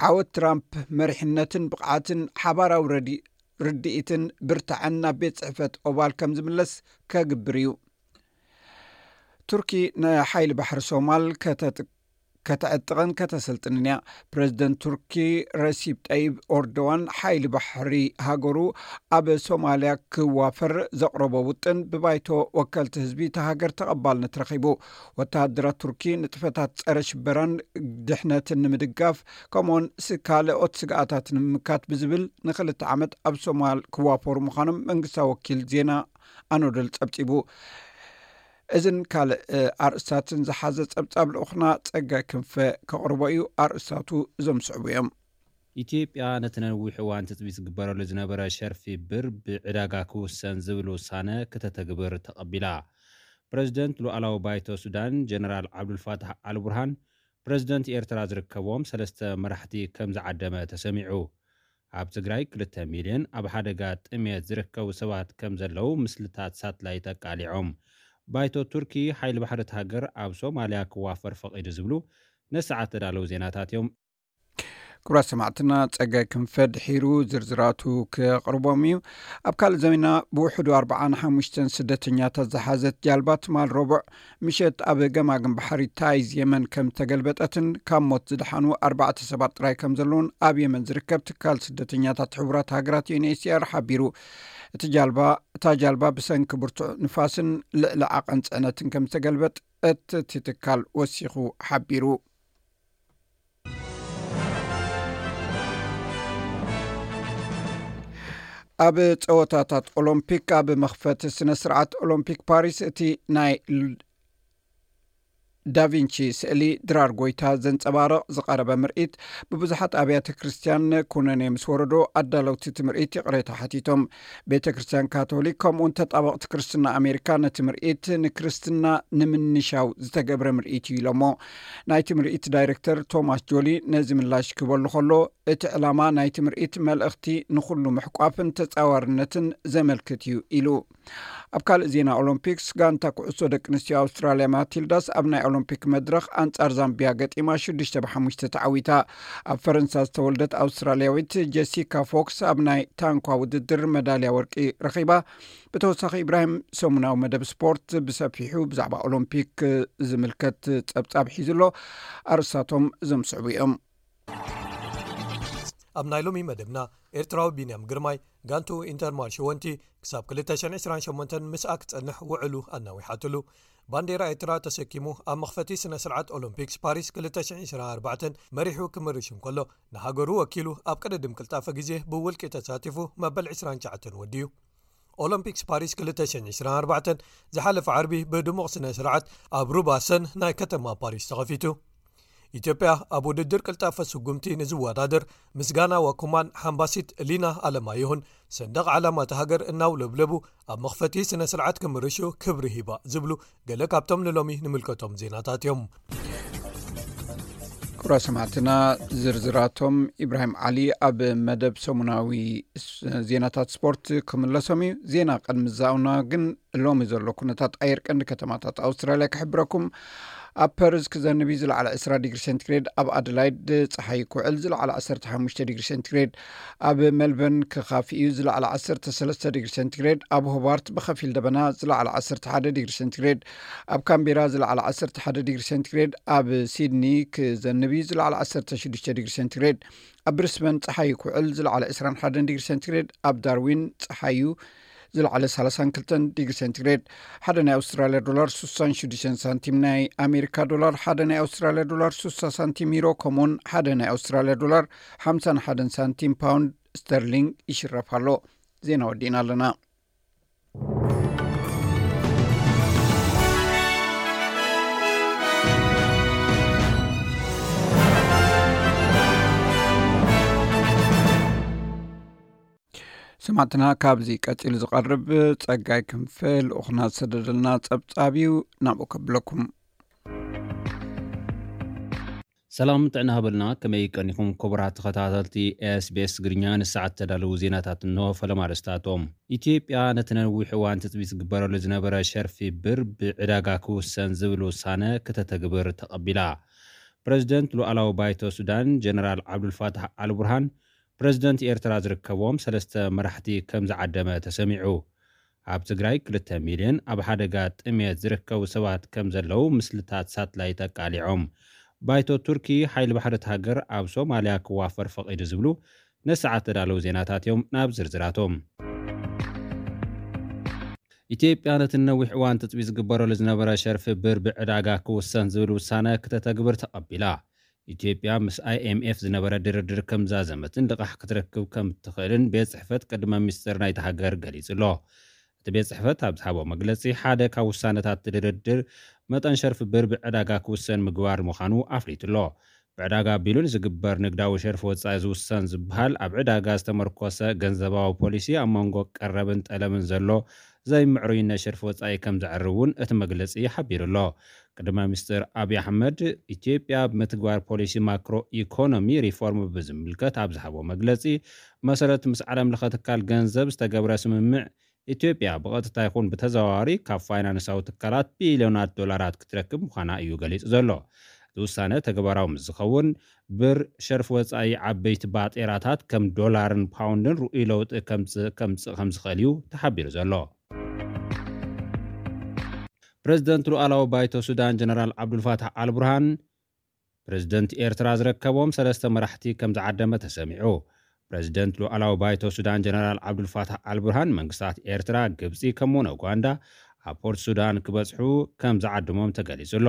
ዓወት ትራምፕ መሪሕነትን ብቕዓትን፣ ሓባራዊ ረዲ-፣ ርድኢትን ብርታዐን ናብ ቤት ጽሕፈት ኦቫል ከም ዝምለስ ከግብር እዩ። ቱርኪ ንሓይሊ ባሕሪ ሶማል ከተጥ-፣ ከተዕጥቕን ከተሰልጥንን እያ። ፕረዚደንት ቱርኪ ረሲብ ጠይብ ኦርዶዋን ሓይሊ ባሕሪ ሃገሩ ኣብ ሶማልያ ክዋፈር ዘቕረቦ ውጥን ብባይቶ ወከልቲ ህዝቢ እታ ሃገር ተቐባልነት ረኺቡ። ወተሃደራት ቱርኪ ንጥፈታት ጸረ ሽበራን ድሕነትን ንምድጋፍ፣ ከምኡውን ስ-፣ ካልኦት ስግኣታት ንምምካት ብዝብል ንክልተ ዓመት ኣብ ሶማል ክዋፈሩ ምዃኖም መንግስታዊ ወኪል ዜና ኣኖደል ጸብጺቡ። እዝን ካልእ፣ እ፣ ኣርእስታትን ዝሓዘ ጸብጻብ ልኡኽና ጸጋይ ክንፈ ከቕርቦ እዩ። ኣርእስታቱ እዞም ዝስዕቡ እዮም። ኢትዮጵያ ነቲ ነዊሕ እዋን ትጽቢት ዝግበረሉ ዝነበረ ሸርፊ ብር ብዕዳጋ ክውሰን ዝብል ውሳነ ክተተግብር ተቐቢላ። ፕረዚደንት ሉኣላዊ ባይቶ ሱዳን ጀነራል ዓብዱልፋታሕ ኣልቡርሃን፣ ፕረዚደንት ኤርትራ ዝርከብዎም ሰለስተ መራሕቲ ከም ዝዓደመ ተሰሚዑ። ኣብ ትግራይ ክልተ ሚልዮን ኣብ ሓደጋ ጥሜት ዝርከቡ ሰባት ከም ዘለዉ ምስልታት ሳትላይት ኣቃሊዖም። ባይቶ ቱርኪ ሓይሊ ባሕሪ እቲ ሃገር ኣብ ሶማልያ ክዋፈር ፈቒዱ ዝብሉ ነሰዓት ተዳለዉ ዜናታት እዮም። ክቡራት ሰማዕትና፣ ጸጋይ ክንፈ ድሒሩ ዝርዝራቱ ከቕርቦም እዩ። ኣብ ካልእ ዜና፣ ብውሕዱ ኣርብዓን ሓሙሽተን ስደተኛታት ዝሓዘት ጃልባ ትማል ረቡዕ ምሸት ኣብ ገማግም ባሕሪ ታይዝ የመን ከም ተገልበጠትን ካብ ሞት ዝደሓኑ ኣርባዕተ ሰባት ጥራይ ከም ዘለውን ኣብ የመን ዝርከብ ትካል ስደተኛታት ሕቡራት ሃገራት ዩ ኤን ኤች ሲ ኣር ሓቢሩ። እቲ ጃልባ፣ እታ ጃልባ ብሰንኪ ብርቱዕ ንፋስን ልዕሊ ዓቐን ጽዕነትን ከም ዝተገልበጠት እቲ ትካል ወሲኹ ሓቢሩ። ኣብ ጸወታታት ኦሎምፒክ፣ ኣብ መኽፈቲ ስነ ስርዓት ኦሎምፒክ ፓሪስ፣ እቲ ናይ ል-፣ ዳቪንቺ ስእሊ ድራር ጎይታ ዘንጸባርቕ ዝቐረበ ምርኢት፣ ብብዙሓት ኣብያተ ክርስትያን ኩነኔ ምስ ወረዶ፣ ኣዳለውቲ እቲ ምርኢት ይቕሬታ ሓቲቶም። ቤተ ክርስትያን ካቶሊክ ከምኡውን ተጣበቕቲ ክርስትና ኣሜሪካ ነቲ ምርኢት ንክርስትና ንምንሻው ዝተገብረ ምርኢት እዩ ኢሎሞ። ናይቲ ምርኢት ዳይሬክተር ቶማስ ጆሊ ነዚ ምላሽ ክበሉ ከሎ፣ እቲ ዕላማ ናይቲ ምርኢት መልእኽቲ ንኹሉ ምሕቋፍን ተጻዋርነትን ዘመልክት እዩ ኢሉ። ኣብ ካልእ ዜና ኦሎምፒክስ፣ ጋንታ ኩዕሶ ደቂ ኣንስትዮ ኣውስትራልያ ማቲልዳስ ኣብ ናይ ኦሎምፒክ መድረኽ ኣንጻር ዛምቢያ ገጢማ ሽዱሽተ ብሓሙሽተ ተዓዊታ። ኣብ ፈረንሳ ዝተወልደት ኣውስትራልያዊት ጀሲካ ፎክስ ኣብ ናይ ታንኳ ውድድር መዳልያ ወርቂ ረኺባ። ብተወሳኺ፣ ኢብራሂም ሰሙናዊ መደብ ስፖርት ብሰፊሑ ብዛዕባ ኦሎምፒክ ዝምልከት ጸብጻብ ሒዙ ኣሎ። ኣርእስታቶም እዞም ዝስዕቡ እዮም። ኣብ ናይ ሎሚ መደብና፣ ኤርትራዊ ቢንያም ግርማይ ጋንቱ ኢንተርማል ሽወንቲ ክሳብ ክልተ ሽሕን ዕስራን ሸሞንተን ምስኣ ክጸንሕ ውዕሉ ኣናዊሓትሉ። ባንዴራ ኤርትራ ተሰኪሙ ኣብ መኽፈቲ ስነ ስርዓት ኦሎምፒክስ ፓሪስ ክልተ ሽሕን ዕስራን ኣርባዕተን መሪሑ ክምርሽ እንከሎ፣ ንሃገሩ ወኪሉ ኣብ ቅድድም ቅልጣፈ ግዜ ብውልቂ ተሳቲፉ መበል ዕስራን ትሽዓተን ወዲዩ። ኦሎምፒክስ ፓሪስ ክልተ ሽሕን ዕስራን ኣርባዕተን ዝሓለፈ ዓርቢ ብድሙቕ ስነ ስርዓት ኣብ ሩባ ሰን ናይ ከተማ ፓሪስ ተኸፊቱ። ኢትዮጵያ ኣብ ውድድር ቅልጣፈ ስጉምቲ ንዝወዳደር ምስጋና ዋኩማን ሓምባሲት ሊና ኣለማየሁን ሰንደቕ ዓላማ እታ ሃገር እናውለብለቡ ኣብ መኽፈቲ ስነ ስርዓት ክምርሹ ክብሪ ሂባ ዝብሉ ገለ ካብቶም ንሎሚ ንምልከቶም ዜናታት እዮም። ክቡራት ሰማዕትና፣ ዝርዝራቶም ኢብራሂም ዓሊ ኣብ መደብ ሰሙናዊ ስ-፣ ዜናታት ስፖርት ክምለሶም እዩ። ዜና ቅድሚ ዛኡና ግን ሎሚ ዘሎ ኩነታት ኣየር ቀንዲ ከተማታት ኣውስትራልያ ክሕብረኩም። ኣብ ፐርዝ ክዘንብ እዩ፣ ዝለዓለ ዕስራ ዲግሪ ሴንቲግሬድ። ኣብ ኣደላይድ ጸሓይ ክውዕል፣ ዝለዓለ ዓሰርተ ሓሙሽተ ዲግሪ ሴንቲግሬድ። ኣብ ሜልበርን ክኻፊ እዩ፣ ዝለዓለ ዓሰርተ ሰለስተ ዲግሪ ሴንቲግሬድ። ኣብ ሆባርት ብኸፊል ደበና፣ ዝለዓለ ዓሰርተ ሓደ ዲግሪ ሴንቲግሬድ። ኣብ ካምቤራ ዝለዓለ ዓሰርተ ሓደ ዲግሪ ሴንቲግሬድ። ኣብ ሲድኒ ክዘንብ እዩ፣ ዝለዓለ ዓሰርተ ሽዱሽተ ዲግሪ ሴንቲግሬድ። ኣብ ብሪስበን ጸሓይ ክውዕል፣ ዝለዓለ ዕስራን ሓደን ዲግሪ ሴንቲግሬድ። ኣብ ዳርዊን ጸሓዩ፣ ዝለዓለ ሰላሳን ክልተን ዲግሪ ሴንቲግሬድ። ሓደ ናይ ኣውስትራልያ ዶላር ስሳን ሽዱሽተን ሳንቲም፣ ናይ ኣሜሪካ ዶላር ሓደ ናይ ኣውስትራልያ ዶላር ስሳ ሳንቲም፣ ዩሮ ከምኡውን ሓደ ናይ ኣውስትራልያ ዶላር ሓምሳን ሓደን ሳንቲም፣ ፓውንድ ስተርሊንግ ይሽረፍ ኣሎ። ዜና ወዲእና ኣለና። ሰማዕትና፣ ካብዚ ቀጺሉ ዝቐርብ ጸጋይ ክንፈ ልኡኽና ዝሰደደልና ጸብጻብ እዩ፣ ናብኡ ከብለኩም። ሰላም ጥዕና ሃበልና፣ ከመይ ቀኒኹም ክቡራት ተኸታተልቲ ኤስቢኤስ ትግርኛ? ንሰዓት ተዳለዉ ዜናታት እንሆ። ፈለማ ኣርእስታቶም። ኢትዮጵያ ነቲ ነዊሕ እዋን ትጽቢት ዝግበረሉ ዝነበረ ሸርፊ ብር ብዕዳጋ ክውሰን ዝብል ውሳነ ክተተግብር ተቐቢላ። ፕረዚደንት ሉኣላዊ ባይቶ ሱዳን ጀነራል ዓብዱልፋታሕ ኣልቡርሃን ፕረዚደንት ኤርትራ ዝርከብዎም ሰለስተ መራሕቲ ከም ዝዓደመ ተሰሚዑ። ኣብ ትግራይ ክልተ ሚልዮን ኣብ ሓደጋ ጥሜት ዝርከቡ ሰባት ከም ዘለዉ ምስልታት ሳትላይት ኣቃሊዖም። ባይቶ ቱርኪ ሓይሊ ባሕሪ እቲ ሃገር ኣብ ሶማልያ ክዋፈር ፈቒዱ ዝብሉ ንሰዓት ተዳለዉ ዜናታት እዮም። ናብ ዝርዝራቶም። ኢትዮጵያ ነቲ ነዊሕ እዋን ትጽቢት ዝግበረሉ ዝነበረ ሸርፊ ብር ብዕዳጋ ክውሰን ዝብል ውሳነ ክተተግብር ተቐቢላ። ኢትዮጵያ ምስ ኣይኤምኤፍ ዝነበረ ድርድር ከም ዛዘመትን ልቓሕ ክትረክብ ከም እትኽእልን ቤት ጽሕፈት ቅድመ ሚኒስትር ናይቲ ሃገር ገሊጹ ኣሎ። እቲ ቤት ጽሕፈት ኣብ ዝሃቦ መግለጺ፣ ሓደ ካብ ውሳነታት ድርድር መጠን ሸርፊ ብር ብዕዳጋ ክውሰን ምግባር ምዃኑ ኣፍሊጡ ኣሎ። ብዕዳጋ ኣቢሉ ንዝግበር ንግዳዊ ሸርፊ ወጻኢ ዝውሰን ዝበሃል ኣብ ዕዳጋ ዝተመርኮሰ ገንዘባዊ ፖሊሲ ኣብ መንጎ ቀረብን ጠለብን ዘሎ ዘይምዕሩይነት ሸርፊ ወጻኢ ከም ዘዕሪ እውን እቲ መግለጺ ሓቢሩ ኣሎ። ቅድመ ሚኒስትር ኣብይ ኣሕመድ፣ ኢትዮጵያ ብምትግባር ፖሊሲ ማክሮ ኢኮኖሚ ሪፎርም ብዝምልከት ኣብ ዝሃቦ መግለጺ፣ መሰረት ምስ ዓለም ለኸ ትካል ገንዘብ ዝተገብረ ስምምዕ፣ ኢትዮጵያ ብቐጥታ ይኹን ብተዘዋዋሪ ካብ ፋይናንሳዊ ትካላት ቢልዮናት ዶላራት ክትረክብ ምዃና እዩ ገሊጹ ዘሎ። እቲ ውሳነ ተግባራዊ ምስ ዝኸውን፣ ብር ሸርፊ ወጻኢ ዓበይቲ ባጤራታት ከም ዶላርን ፓውንድን ርኡይ ለውጢ ከምጽ-፣ ከምጽእ ከም ዝኽእል እዩ ተሓቢሩ ዘሎ። ፕረዚደንት ሉኣላዊ ባይቶ ሱዳን ጀነራል ዓብዱልፋታሕ ኣልቡርሃን ፕረዚደንት ኤርትራ ዝርከቦም ሰለስተ መራሕቲ ከም ዝዓደመ ተሰሚዑ። ፕረዚደንት ሉኣላዊ ባይቶ ሱዳን ጀነራል ዓብዱልፋታሕ ኣልቡርሃን መንግስታት ኤርትራ፣ ግብጺ ከምኡውን ኡጋንዳ ኣብ ፖርት ሱዳን ክበጽሑ ከም ዝዓደሞም ተገሊጹ ኣሎ።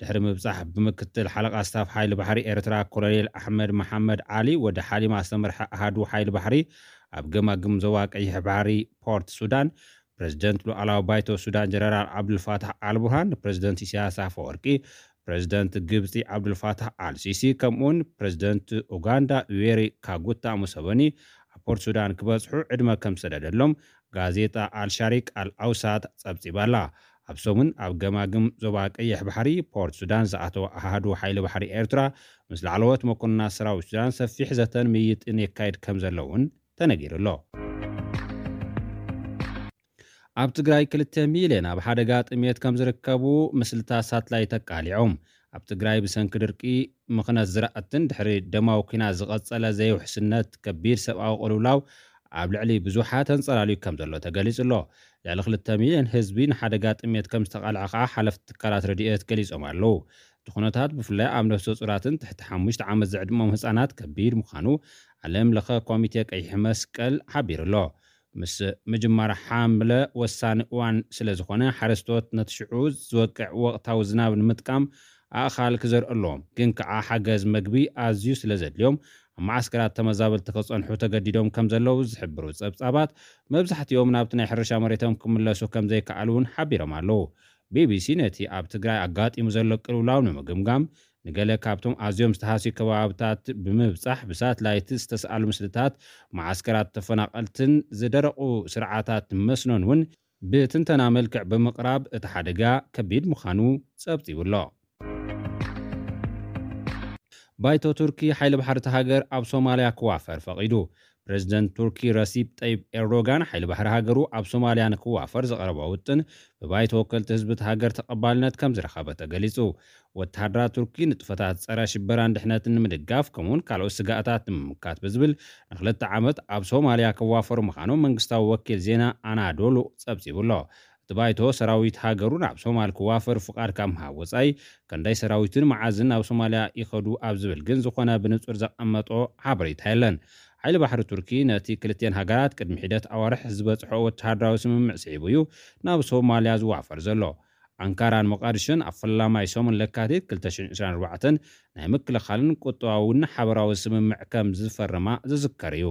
ድሕሪ ምብጻሕ ብምክትል ሓለቓ ስታፍ ሓይሊ ባሕሪ ኤርትራ ኮሎኔል ኣሕመድ መሓመድ ዓሊ ወዲ ሓሊማ ዝተመርሐ ኣሃዱ ሓይሊ ባሕሪ ኣብ ገማግም ዞባ ቀይሕ ባሕሪ ፖርት ሱዳን ፕሬዝደንት ሉዓላዊ ባይቶ ሱዳን ጀነራል ዓብዱልፋታሕ ኣልቡርሃን ንፕሬዝደንት ኢሳያስ ኣፈወርቂ፣ ፕሬዝደንት ግብፂ ዓብዱልፋታሕ ኣልሲሲ ከምኡውን ፕሬዝደንት ኡጋንዳ ዩዌሪ ካጉታ ሙሰቨኒ ኣብ ፖርት ሱዳን ክበፅሑ ዕድመ ከም ዝሰደደሎም ጋዜጣ ኣልሻሪቅ ኣልኣውሳት ፀብፂባላ። ኣብ ሰሙን ኣብ ገማግም ዞባ ቀይሕ ባሕሪ ፖርት ሱዳን ዝኣተወ ኣሃዱ ሓይሊ ባሕሪ ኤርትራ ምስ ላዕለዎት መኮንናት ሰራዊት ሱዳን ሰፊሕ ዘተን ምይይጥን የካይድ ከም ዘሎ እውን ተነጊሩ ኣሎ። ኣብ ትግራይ ክልተ ሚልዮን ኣብ ሓደጋ ጥሜት ከም ዝርከቡ ምስልታት ሳትላይት ኣቃሊዖም። ኣብ ትግራይ ብሰንኪ ድርቂ፣ ምኽነት ዝራእትን ድሕሪ ደማዊ ኲናት ዝቐጸለ ዘይውሕስነት ከቢድ ሰብኣዊ ቅልውላው ኣብ ልዕሊ ብዙሓት ተንጸላልዩ ከም ዘሎ ተገሊጹ ኣሎ። ልዕሊ ክልተ ሚልዮን ህዝቢ ንሓደጋ ጥሜት ከም ዝተቓልዐ ከኣ ሓለፍቲ ትካላት ረድኤት ገሊጾም ኣለዉ። እቲ ኩነታት ብፍላይ ኣብ ነፍሰ ጹራትን ትሕቲ ሓሙሽተ ዓመት ዝዕድሞም ህጻናት ከቢድ ምዃኑ ዓለም ለኸ ኮሚቴ ቀይሕ መስቀል ሓቢሩ ኣሎ። ምስ ምጅማር ሓምለ ወሳኒ እዋን ስለ ዝኾነ፣ ሓረስቶት ነቲ ሽዑ ዝወቅዕ ወቕታዊ ዝናብ ንምጥቃም ኣእኻል ክዘርኡ ኣለዎም። ግን ከኣ ሓገዝ መግቢ ኣዝዩ ስለ ዘድልዮም፣ ኣብ መዓስከራት ተመዛበልቲ ክጸንሑ ተገዲዶም ከም ዘለዉ ዝሕብሩ ጸብጻባት፣ መብዛሕትኦም ናብቲ ናይ ሕርሻ መሬቶም ክምለሱ ከም ዘይከኣሉ እውን ሓቢሮም ኣለዉ። ቢቢሲ ነቲ ኣብ ትግራይ ኣጋጢሙ ዘሎ ቅልውላው ንምግምጋም፣ ንገለ ካብቶም ኣዝዮም ዝተሃስዩ ከባብታት ብምብጻሕ ብሳትላይት ዝተስኣሉ ምስልታት መዓስከራት ተፈናቐልትን ዝደረቑ ስርዓታት መስኖን እውን ብትንተና መልክዕ ብምቕራብ እቲ ሓደጋ ከቢድ ምዃኑ ጸብጺቡ ኣሎ። ባይቶ ቱርኪ ሓይሊ ባሕሪ እታ ሃገር ኣብ ሶማልያ ክዋፈር ፈቒዱ። ፕሬዝደንት ቱርኪ ረሲፕ ጠይብ ኤርዶጋን ሓይሊ ባሕሪ ሃገሩ ኣብ ሶማልያ ንክዋፈር ዘቕረቦ ውጥን ብባይቶ ወከልቲ ህዝቢ እታ ሃገር ተቐባልነት ከም ዝረኸበ ተገሊጹ። ወተሃደራት ቱርኪ ንጥፈታት ጸረ ሽበራን ድሕነትን ንምድጋፍ ከምኡውን ካልኦት ስጋኣታት ንምምካት ብዝብል ንክልተ ዓመት ኣብ ሶማልያ ክዋፈሩ ምዃኖም መንግስታዊ ወኪል ዜና ኣናዶሉ ጸብጺቡ ኣሎ። እቲ ባይቶ ሰራዊት ሃገሩ ናብ ሶማል ክዋፈር ፍቓድ ካብ ምሃብ ወጻኢ፣ ክንደይ ሰራዊትን መዓዝን ናብ ሶማልያ ይኸዱ ኣብ ዝብል ግን ዝኾነ ብንጹር ዘቐመጦ ሓበሬታ የለን። ሓይሊ ባሕሪ ቱርኪ ነቲ ክልቲኤን ሃገራት ቅድሚ ሒደት ኣዋርሕ ዝበጽሖ ወተሃደራዊ ስምምዕ ስዒቡ እዩ ናብ ሶማልያ ዝዋፈር ዘሎ። ኣንካራን ሞቃዲሾን ኣብ ፈላማይ ሰሙን ለካቲት ክልተ ሽሕን ዕስራን ኣርባዕተን ናይ ምክልኻልን ቁጠባውን ሓበራዊ ስምምዕ ከም ዝፈርማ ዝዝከር እዩ።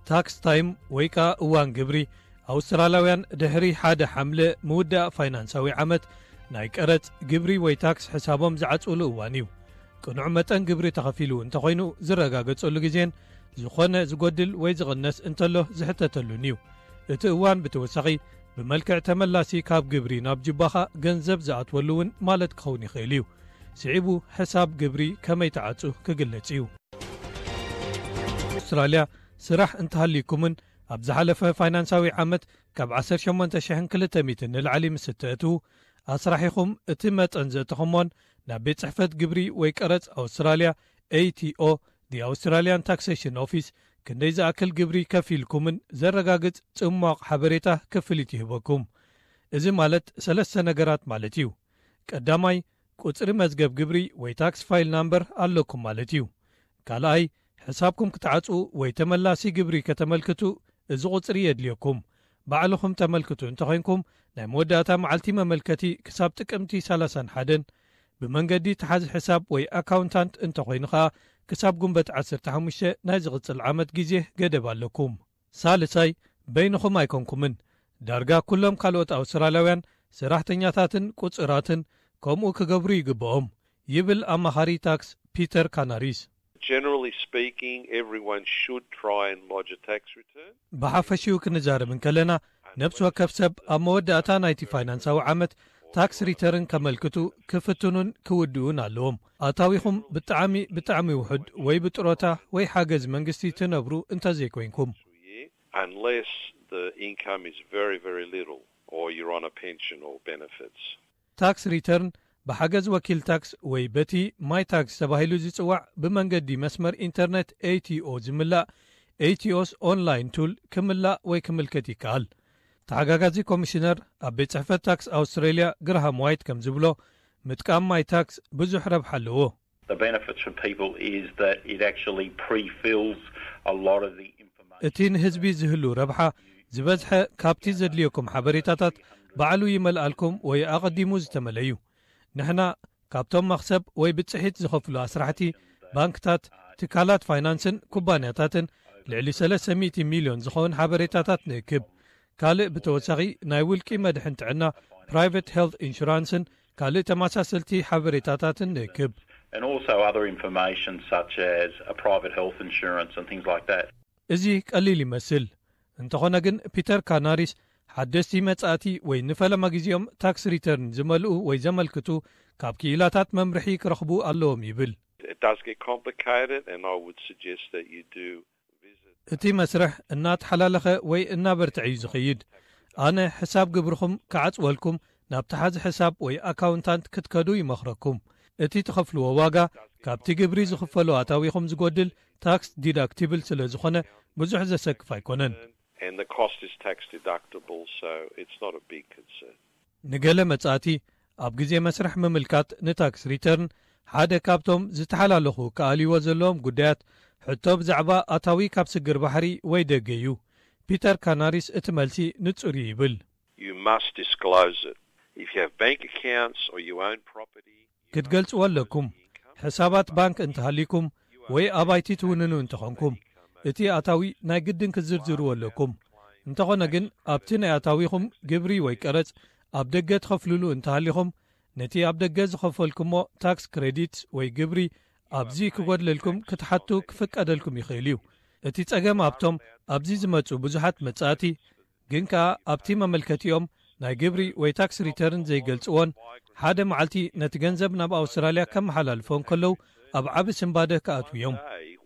ታክስ ታይም ወይ ከኣ እዋን ግብሪ፣ ኣውስትራልያውያን ድሕሪ ሓደ ሓምለ ምውዳእ ፋይናንሳዊ ዓመት ናይ ቀረጽ፣ ግብሪ ወይ ታክስ ሕሳቦም ዝዓጽውሉ እዋን እዩ። ቅኑዕ መጠን ግብሪ ተኸፊሉ እንተኾይኑ ዝረጋገጸሉ ግዜን ዝኾነ ዝጎድል ወይ ዝቕነስ እንተሎ ዝሕተተሉን እዩ። እቲ እዋን ብተወሳኺ ብመልክዕ ተመላሲ ካብ ግብሪ ናብ ጁባኻ ገንዘብ ዝኣትወሉ እውን ማለት ክኸውን ይኽእል እዩ። ስዒቡ ሕሳብ ግብሪ ከመይ ተዓጹ ክግለጽ እዩ። ኣውስትራልያ ስራሕ እንተሃልይኩምን ኣብ ዝሓለፈ ፋይናንሳዊ ዓመት ካብ ዓሰርተ ሸሞንተ ሽሕን ክልተ ሚእትን ንላዕሊ ምስ እተእትዉ፣ ኣስራሒኹም እቲ መጠን ዘእተኹሞን ናብ ቤት ጽሕፈት ግብሪ ወይ ቀረጽ ኣውስትራልያ፣ ኤ ቲ ኦ፣ The Australian Taxation Office፣ ክንደይ ዝኣክል ግብሪ ከፊልኩምን ዘረጋግጽ ጽሟቕ ሓበሬታ ክፍሊት ይህበኩም። እዚ ማለት ሰለስተ ነገራት ማለት እዩ። ቀዳማይ፣ ቁጽሪ መዝገብ ግብሪ ወይ ታክስ ፋይል ናምበር ኣለኩም ማለት እዩ። ካልኣይ፣ ሕሳብኩም ክትዓጽዉ ወይ ተመላሲ ግብሪ ከተመልክቱ እዚ ቁጽሪ የድልየኩም። ባዕልኹም ተመልክቱ እንተኾይንኩም፣ ናይ መወዳእታ መዓልቲ መመልከቲ ክሳብ ጥቅምቲ ሰላሳን ሓደን፣ ብመንገዲ ተሓዚ ሕሳብ ወይ ኣካውንታንት እንተኾይኑ ኸኣ፣ ክሳብ ጉንበት ዓሰርተ ሓሙሽተ ናይ ዝቕጽል ዓመት ግዜ ገደብ ኣለኩም። ሳልሳይ፣ በይንኹም ኣይኮንኩምን። ዳርጋ ኩሎም ካልኦት ኣውስትራልያውያን ሰራሕተኛታትን ቁጽራትን ከምኡ ክገብሩ ይግብኦም፣ ይብል ኣማኻሪ ታክስ ፒተር ካናሪስ። Generally speaking, everyone should try and lodge a tax return. ብሓፈሽኡ ክንዛረብ እንከለና፣ ነፍሲ ወከፍ ሰብ ኣብ መወዳእታ ናይቲ ፋይናንሳዊ ዓመት ታክስ ሪተርን ከመልክቱ ክፍትኑን ክውድኡን ኣለዎም። ኣታዊኹም ብጣዕሚ፣ ብጣዕሚ ውሑድ ወይ ብጥሮታ ወይ ሓገዝ መንግስቲ ትነብሩ እንተዘይኮይንኩም። Unless the income is very, very little or you're on a pension or benefits. ታክስ ሪተርን ብሓገዝ ወኪል ታክስ ወይ በቲ ማይ ታክስ ተባሂሉ ዝጽዋዕ ብመንገዲ መስመር ኢንተርነት ኤ ቲ ኦ ዝምላእ ኤ ቲ ኦስ ኦንላይን ቱል ክምላእ ወይ ክምልከት ይከኣል። ተሓጋጋዚ ኮሚሽነር ኣብ ቤት ጽሕፈት ታክስ ኣውስትሬልያ ግራሃም ዋይት ከም ዝብሎ፣ ምጥቃም ማይ ታክስ ብዙሕ ረብሓ ኣለዎ። The benefits for people is that it actually pre-fills a lot of the information. እቲ ንህዝቢ ዝህሉ ረብሓ ዝበዝሐ ካብቲ ዘድልየኩም ሓበሬታታት ባዕሉ ይመልኣልኩም ወይ ኣቐዲሙ ዝተመለ እዩ። ንሕና ካብቶም መኽሰብ ወይ ብጽሒት ዝኸፍሉ ኣስራሕቲ፣ ባንክታት፣ ትካላት ፋይናንስን ኩባንያታትን ልዕሊ ሰለስተ ሚእቲ ሚልዮን ዝኸውን ሓበሬታታት ንእክብ። ካልእ ብተወሳኺ ናይ ውልቂ መድሕን ጥዕና፣ ፕራይቨት ሄልት ኢንሹራንስን ካልእ ተመሳሰልቲ ሓበሬታታትን ንእክብ። And also other information such as a private health insurance and things like that. እዚ ቀሊል ይመስል። እንተኾነ ግን ፒተር ካናሪስ ሓደስቲ መጻእቲ ወይ ንፈለማ ግዜኦም ታክስ ሪተርን ዝመልኡ ወይ ዘመልክቱ ካብ ክኢላታት መምርሒ ክረኽቡ ኣለዎም ይብል። It does get complicated, and I would suggest that you do visit. እቲ መስርሕ እናተሓላለኸ ወይ እናበርትዐ እዩ ዝኸይድ። ኣነ ሕሳብ ግብርኹም ክዓጽወልኩም ናብ ተሓዚ ሕሳብ ወይ ኣካውንታንት ክትከዱ ይመኽረኩም። እቲ ትኸፍልዎ ዋጋ ካብቲ ግብሪ ዝኽፈሎ ኣታዊኹም ዝጎድል ታክስ ዲዳክቲብል ስለ ዝኾነ ብዙሕ ዘሰክፍ ኣይኮነን። And the cost is tax deductible, so it's not a big concern. ንገለ መጻእቲ ኣብ ግዜ መስርሕ ምምልካት ንታክስ ሪተርን ሓደ ካብቶም ዝተሓላለኹ ክኣልይዎ ዘለዎም ጉዳያት ሕቶ ብዛዕባ ኣታዊ ካብ ስግር ባሕሪ ወይ ደገ እዩ። ፒተር ካናሪስ እቲ መልሲ ንጹር እዩ ይብል። You must disclose it. If you have bank accounts or you own property, ክትገልጽዎ ኣለኩም። ሕሳባት ባንክ እንተሃሊኩም ወይ ኣባይቲ ትውንኑ እንተኾንኩም እቲ ኣታዊ ናይ ግድን ክትዝርዝርዎ ኣለኩም። እንተኾነ ግን ኣብቲ ናይ ኣታዊኹም ግብሪ ወይ ቀረጽ ኣብ ደገ ትኸፍልሉ እንተሃሊኹም ነቲ ኣብ ደገ ዝኸፈልኩሞ ታክስ ክሬዲትስ ወይ ግብሪ ኣብዚ ክጎድለልኩም ክትሓቱ ክፍቀደልኩም ይኽእል እዩ። እቲ ጸገም ኣብቶም ኣብዚ ዝመጹ ብዙሓት መጻእቲ ግን ከኣ ኣብቲ መመልከቲኦም ናይ ግብሪ ወይ ታክስ ሪተርን ዘይገልጽዎን ሓደ መዓልቲ ነቲ ገንዘብ ናብ ኣውስትራልያ ከመሓላልፎ እንከለዉ ኣብ ዓቢ ስንባደ ክኣትዉ እዮም።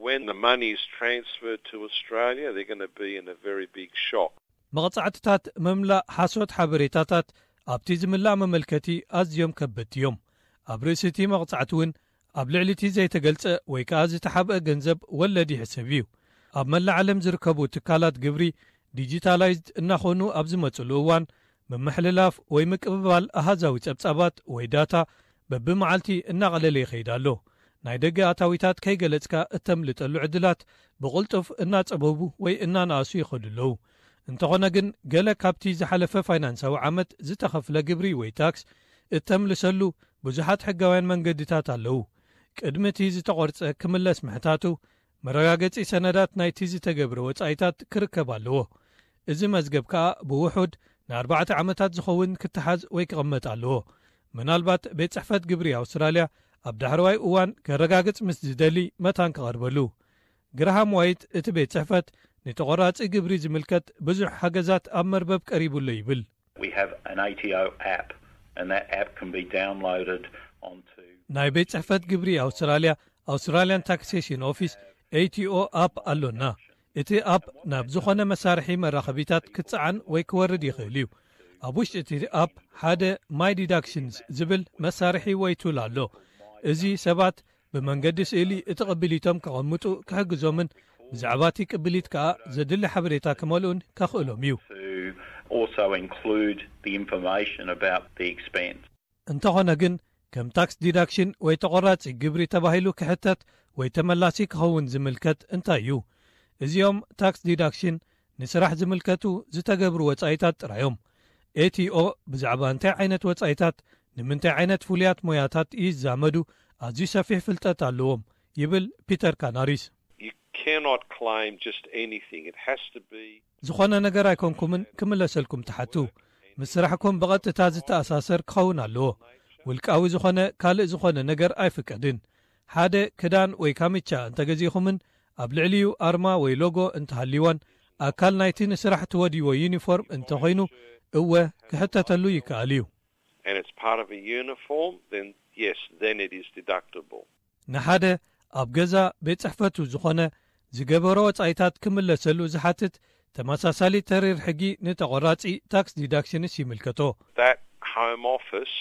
When the money is transferred to Australia, they're going to be in a very big shock. መቕጻዕትታት ምምላእ ሓሶት ሓበሬታታት ኣብቲ ዝምላእ መመልከቲ ኣዝዮም ከበድቲ እዮም። ኣብ ርእሲ እቲ መቕጻዕቲ እውን ኣብ ልዕሊ እቲ ዘይተገልጸ ወይ ከኣ ዝተሓብአ ገንዘብ ወለድ ይሕሰብ እዩ። ኣብ መላእ ዓለም ዝርከቡ ትካላት ግብሪ ዲጂታላይዝድ እናኾኑ ኣብ ዝመጽሉ እዋን ምምሕልላፍ ወይ ምቅብባል ኣሃዛዊ ጸብጻባት ወይ ዳታ በብመዓልቲ እናቐለለ ይኸይድ ኣሎ። ናይ ደገ ኣታዊታት ከይገለጽካ እተምልጠሉ ዕድላት ብቕልጡፍ እናጸበቡ ወይ እናነኣሱ ይኸዱ ኣለዉ። እንተኾነ ግን ገለ ካብቲ ዝሓለፈ ፋይናንሳዊ ዓመት ዝተኸፍለ ግብሪ ወይ ታክስ እተምልሰሉ ብዙሓት ሕጋውያን መንገድታት ኣለዉ። ቅድሚ እቲ ዝተቖርጸ ክምለስ ምሕታቱ መረጋገጺ ሰነዳት ናይቲ ዝተገብረ ወጻኢታት ክርከብ ኣለዎ። እዚ መዝገብ ከኣ ብውሑድ ንኣርባዕተ ዓመታት ዝኸውን ክተሓዝ ወይ ክቕመጥ ኣለዎ። ምናልባት ቤት ጽሕፈት ግብሪ ኣውስትራልያ ኣብ ዳሕረዋይ እዋን ከረጋግጽ ምስ ዝደሊ መታን ክቐርበሉ። ግራሃም ዋይት እቲ ቤት ጽሕፈት ንተቖራጺ ግብሪ ዝምልከት ብዙሕ ሓገዛት ኣብ መርበብ ቀሪቡ ኣሎ ይብል። We have an A T O app, and that app can be downloaded onto ናይ ቤት ጽሕፈት ግብሪ ኣውስትራልያ ኣውስትራልያን ታክሴሽን ኦፊስ ኤቲኦ ኣፕ ኣሎና። እቲ ኣፕ ናብ ዝኾነ መሳርሒ መራኸቢታት ክጸዓን ወይ ክወርድ ይኽእል እዩ። ኣብ ውሽጢ እቲ ኣፕ ሓደ ማይ ዲዳክሽንስ ዝብል መሳርሒ ወይ ቱል ኣሎ። እዚ ሰባት ብመንገዲ ስእሊ እቲ ቅብሊቶም ከቐምጡ ክሕግዞምን ብዛዕባ እቲ ቅብሊት ከኣ ዘድሊ ሓበሬታ ክመልኡን ከኽእሎም እዩ። to also include the information about the expense. እንተኾነ ግን ከም ታክስ ዲዳክሽን ወይ ተቖራጺ ግብሪ ተባሂሉ ክሕተት ወይ ተመላሲ ክኸውን ዝምልከት እንታይ እዩ? እዚኦም ታክስ ዲዳክሽን ንስራሕ ዝምልከቱ ዝተገብሩ ወጻኢታት ጥራዮም። ኤቲኦ ብዛዕባ እንታይ ዓይነት ወጻኢታት ንምንታይ ዓይነት ፍሉያት ሞያታት ይዛመዱ ኣዝዩ ሰፊሕ ፍልጠት ኣለዎም ይብል ፒተር ካናሪስ። You cannot claim just anything. It has to be ዝኾነ ነገር ኣይኮንኩምን ክምለሰልኩም ትሓቱ። ምስ ስራሕኩም ብቐጥታ ዝተኣሳሰር ክኸውን ኣለዎ። ውልቃዊ ዝኾነ ካልእ ዝኾነ ነገር ኣይፍቀድን። ሓደ ክዳን ወይ ካምቻ እንተገዚእኹምን ኣብ ልዕሊኡ ኣርማ ወይ ሎጎ እንተሃልይዎን ኣካል ናይቲ ንስራሕ ትወድይዎ ዩኒፎርም እንተኾይኑ እወ ክሕተተሉ ይከኣል እዩ። And it's part of a uniform, then yes, then it is deductible. ንሓደ ኣብ ገዛ ቤት ጽሕፈቱ ዝኾነ ዝገበሮ ወጻኢታት ክምለሰሉ ዝሓትት ተመሳሳሊ ተሪር ሕጊ ንተቖራጺ ታክስ ዲዳክሽንስ ይምልከቶ። That home office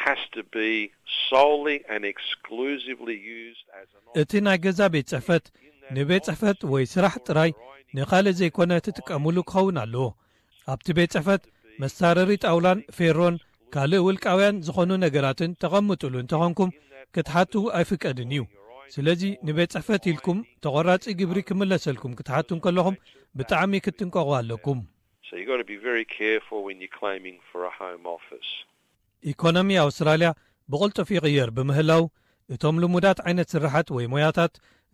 has to be solely and exclusively used as an እቲ ናይ ገዛ ቤት ጽሕፈት ንቤት ጽሕፈት ወይ ስራሕ ጥራይ ንኻልእ ዘይኮነ ትጥቀሙሉ ክኸውን ኣለዎ። ኣብቲ ቤት ጽሕፈት መሳረሪ ጣውላን ፌሮን ካልእ ውልቃውያን ዝኾኑ ነገራትን ተቐምጡሉ እንተኾንኩም ክትሓቱ ኣይፍቀድን እዩ። ስለዚ ንቤት ጽሕፈት ኢልኩም ተቖራጺ ግብሪ ክምለሰልኩም ክትሓቱ እንከለኹም ብጣዕሚ ክትጥንቀቑ ኣለኩም። So you've got to be very careful when you're claiming for a home office. ኢኮኖሚ ኣውስትራልያ ብቕልጡፍ ይቕየር ብምህላው እቶም ልሙዳት ዓይነት ስራሓት ወይ ሞያታት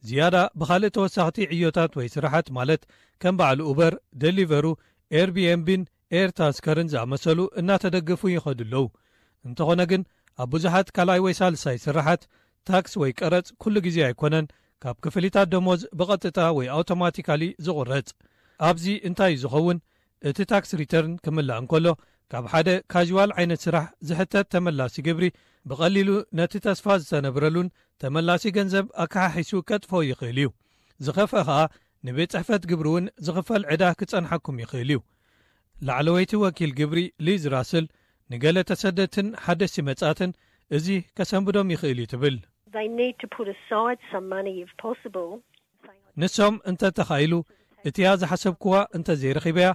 ዝያዳ ብኻልእ ተወሳኽቲ ዕዮታት ወይ ስራሓት ማለት ከም በዓል ኡበር፣ ደሊቨሩ፣ ኤርቢኤንቢን ኤር ታስከርን ዝኣመሰሉ እናተደገፉ ይኸዱ ኣለዉ። እንተኾነ ግን ኣብ ብዙሓት ካልኣይ ወይ ሳልሳይ ስራሓት ታክስ ወይ ቀረጽ ኩሉ ግዜ ኣይኮነን ካብ ክፍሊታት ደሞዝ ብቐጥታ ወይ ኣውቶማቲካሊ ዝቑረጽ። ኣብዚ እንታይ እዩ ዝኸውን? እቲ ታክስ ሪተርን ክምላእ እንከሎ ካብ ሓደ ካዥዋል ዓይነት ስራሕ ዝሕተት ተመላሲ ግብሪ ብቐሊሉ ነቲ ተስፋ ዝተነብረሉን ተመላሲ ገንዘብ ኣከሓሒሱ ከጥፍኦ ይኽእል እዩ። ዝኸፍአ ኸኣ ንቤት ጽሕፈት ግብሪ እውን ዝኽፈል ዕዳ ክጸንሓኩም ይኽእል እዩ። ላዕለወይቲ ወኪል ግብሪ ሊዝ ራስል ንገለ ተሰደድትን ሓደስቲ መጻእትን እዚ ከሰንብዶም ይኽእል እዩ ትብል። They need to put aside some money if possible. ንሶም እንተ ተኻኢሉ እቲያ ዝሓሰብክዋ እንተ ዘይረኺበያ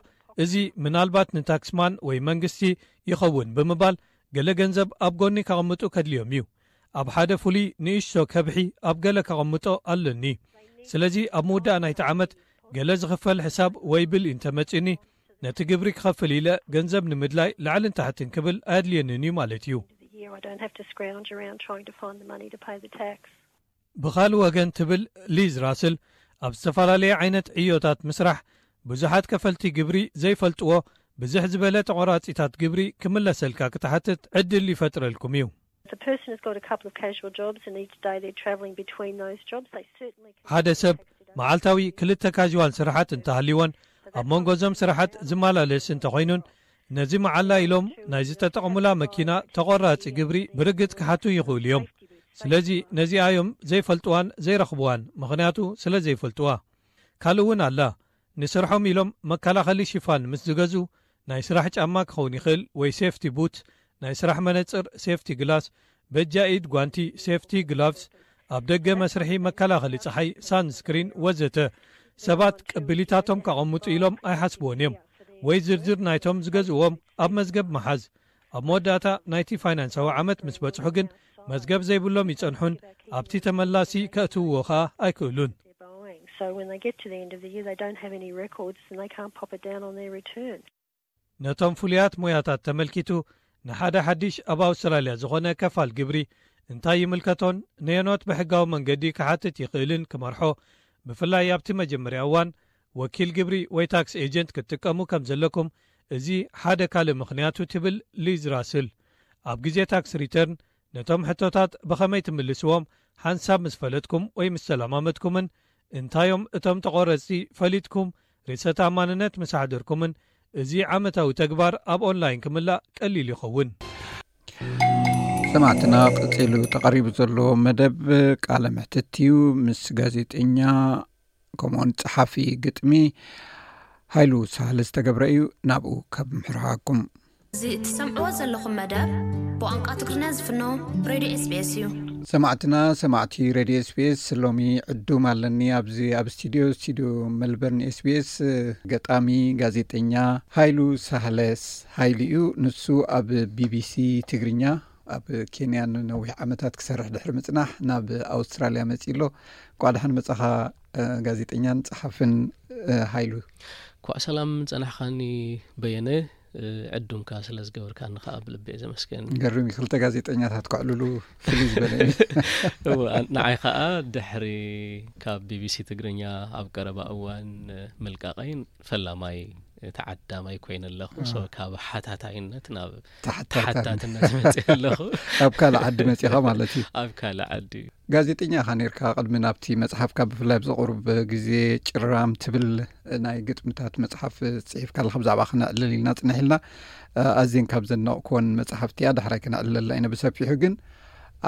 እዚ ምናልባት ንታክስማን ወይ መንግስቲ ይኸውን ብምባል ገለ ገንዘብ ኣብ ጎኒ ከቐምጡ ከድልዮም እዩ። ኣብ ሓደ ፍሉይ ንእሽቶ ከብሒ ኣብ ገለ ከቐምጦ ኣለኒ። ስለዚ ኣብ ምውዳእ ናይቲ ዓመት ገለ ዝኽፈል ሕሳብ ወይ ብል እንተመጺኒ ነቲ ግብሪ ክኸፍል ኢለ ገንዘብ ንምድላይ ላዕልን ታሕትን ክብል ኣየድልየንን እዩ ማለት እዩ። The year I don't have to scrounge around trying to find the money to pay the tax. ብኻልእ ወገን ትብል ሊዝ ራስል ኣብ ዝተፈላለየ ዓይነት ዕዮታት ምስራሕ ብዙሓት ከፈልቲ ግብሪ ዘይፈልጥዎ ብዝሕ ዝበለ ተቖራጺታት ግብሪ ክምለሰልካ ክትሓትት ዕድል ይፈጥረልኩም እዩ። If a person has got a couple of casual jobs and each day they're travelling between those jobs, they certainly can ሓደ ሰብ መዓልታዊ ክልተ ካዥዋል ስራሓት እንተሃልይዎን ኣብ መንጎ እዞም ስራሓት ዝመላለስ እንተኾይኑን ነዚ መዓላ ኢሎም ናይ ዝተጠቐሙላ መኪና ተቖራጺ ግብሪ ብርግጽ ክሓቱ ይኽእሉ እዮም። ስለዚ ነዚኣ እዮም ዘይፈልጥዋን ዘይረኽብዋን፣ ምኽንያቱ ስለ ዘይፈልጥዋ። ካልእ እውን ኣላ። ንስርሖም ኢሎም መከላኸሊ ሽፋን ምስ ዝገዝኡ ናይ ስራሕ ጫማ ክኸውን ይኽእል ወይ ሴፍቲ ቡት፣ ናይ ስራሕ መነጽር ሴፍቲ ግላስ፣ በጃ ኢድ ጓንቲ ሴፍቲ ግላቭስ፣ ኣብ ደገ መስርሒ መከላኸሊ ጸሓይ ሳንስክሪን ወዘተ ሰባት ቅብሊታቶም ከቐምጡ ኢሎም ኣይሓስብዎን እዮም ወይ ዝርዝር ናይቶም ዝገዝእዎም ኣብ መዝገብ ምሓዝ ኣብ መወዳእታ ናይቲ ፋይናንሳዊ ዓመት ምስ በጽሑ ግን መዝገብ ዘይብሎም ይጸንሑን ኣብቲ ተመላሲ ከእትውዎ ኸኣ ኣይክእሉን። they're buying. So when they get to the end of the year, they don't have any records and they can't pop it down on their return. ነቶም ፍሉያት ሞያታት ተመልኪቱ ንሓደ ሓድሽ ኣብ ኣውስትራልያ ዝኾነ ከፋል ግብሪ እንታይ ይምልከቶን ነየኖት ብሕጋዊ መንገዲ ክሓትት ይኽእልን ክመርሖ ብፍላይ ኣብቲ መጀመርያ እዋን ወኪል ግብሪ ወይ ታክስ ኤጀንት ክትጥቀሙ ከም ዘለኩም እዚ ሓደ ካልእ ምኽንያቱ ትብል ሊዝ ራስል። ኣብ ግዜ ታክስ ሪተርን ነቶም ሕቶታት ብኸመይ ትምልስዎም ሓንሳብ ምስ ፈለጥኩም ወይ ምስ ተለማመድኩምን እንታዮም እቶም ተቖረጽቲ ፈሊጥኩም ርእሰ ተኣማንነት ምስ ኣሕደርኩምን እዚ ዓመታዊ ተግባር ኣብ ኦንላይን ክምላእ ቀሊል ይኸውን። ሰማዕትና ቀጺሉ ተቐሪቡ ዘሎ መደብ ቃለ ምሕትት እዩ ምስ ጋዜጠኛ ከምኡውን ጸሓፊ ግጥሚ ሃይሉ ሳህለ ዝተገብረ እዩ። ናብኡ ካብ ምሕርሓኩም እዚ እትሰምዕዎ ዘለኹም መደብ ብቋንቋ ትግርኛ ዝፍኖ ሬድዮ ኤስቢኤስ እዩ። ሰማዕትና ሰማዕቲ ሬድዮ ኤስቢኤስ ሎሚ ዕዱም ኣለኒ ኣብዚ ኣብ ስቱዲዮ ስቱዲዮ መልበርን ኤስቢኤስ ገጣሚ ጋዜጠኛ ሃይሉ ሳህለስ ሃይሉ እዩ። ንሱ ኣብ ቢቢሲ ትግርኛ ኣብ ኬንያ ንነዊሕ ዓመታት ክሰርሕ ድሕሪ ምጽናሕ ናብ ኣውስትራልያ መጺ ኣሎ። እንኳዕ ደሓን መጻኻ ጋዜጠኛን ጸሓፍን ሃይሉ። እንኳዕ ሰላም ጸናሕኻኒ በየነ። ዕዱምካ ስለ ዝገበርካኒ ከዓ ብልቢ እየ ዘመስገን። ገርም እዩ፣ ክልተ ጋዜጠኛታት ክዕልሉ ፍልይ ዝበለ እዩ። እወ፣ ን- ንዓይ ከዓ ድሕሪ ካብ ቢቢሲ ትግርኛ ኣብ ቀረባ እዋን ምልቃቐይ ፈላማይ ተዓዳማይ ኮይነ ኣለኹ። ሶ ካብ ሓታታይነት ናብ ተሓታርካኒ። ተሓታትነት መፅእ ኣለኹ። ኣብ ካልእ ዓዲ መፂኻ ማለት እዩ። ኣብ ካልእ ዓዲ። ጋዜጠኛ ኢኻ ነርካ ቅድሚ ናብቲ መፅሓፍካ ብፍላይ ኣብዚ ቁሩብ ግዜ ጭራም ትብል ናይ ግጥምታት መፅሓፍ ፅሒፍካ ኣለኻ። ብዛዕባ ክነዕልል ኢልና ፅንሕ ኢልና ኣዝየን ካብ ዘነቕኩወን መፅሓፍቲ እያ። ዳሕራይ ክነዕልለላ ኢና ብሰፊሑ። ግን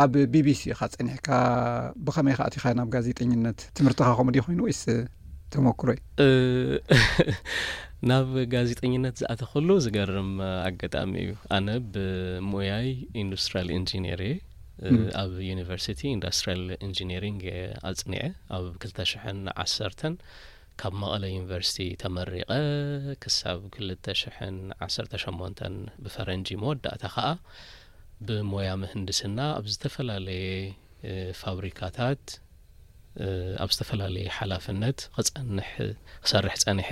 ኣብ ቢቢሲ ኢኻ ፀኒሕካ፣ ብኸመይ ኢኻ ኣቲኻ ናብ ጋዜጠኝነት? ትምህርትኻ ከምኡ ድዩ ኮይኑ ወይስ ተመኩሮ እዩ? ናብ ጋዜጠኝነት ዝኣተኹሉ ዝገርም ኣጋጣሚ እዩ። ኣነ ብሞያይ ኢንዱስትሪያል ኢንጂነር እየ። ኣብ ዩኒቨርሲቲ ኢንዱስትሪያል ኢንጂነሪንግ እየ ኣፅኒዐ ኣብ ክልተ ሽሕን ዓሰርተን ካብ መቐለ ዩኒቨርሲቲ ተመሪቐ ክሳብ ክልተ ሽሕን ዓሰርተ ሸሞንተን ብፈረንጂ መወዳእታ ከዓ ብሞያ ምህንድስና ኣብ ዝተፈላለየ ፋብሪካታት ኣብ ዝተፈላለየ ሓላፍነት ክፀንሕ ክሰርሕ ፀኒሐ።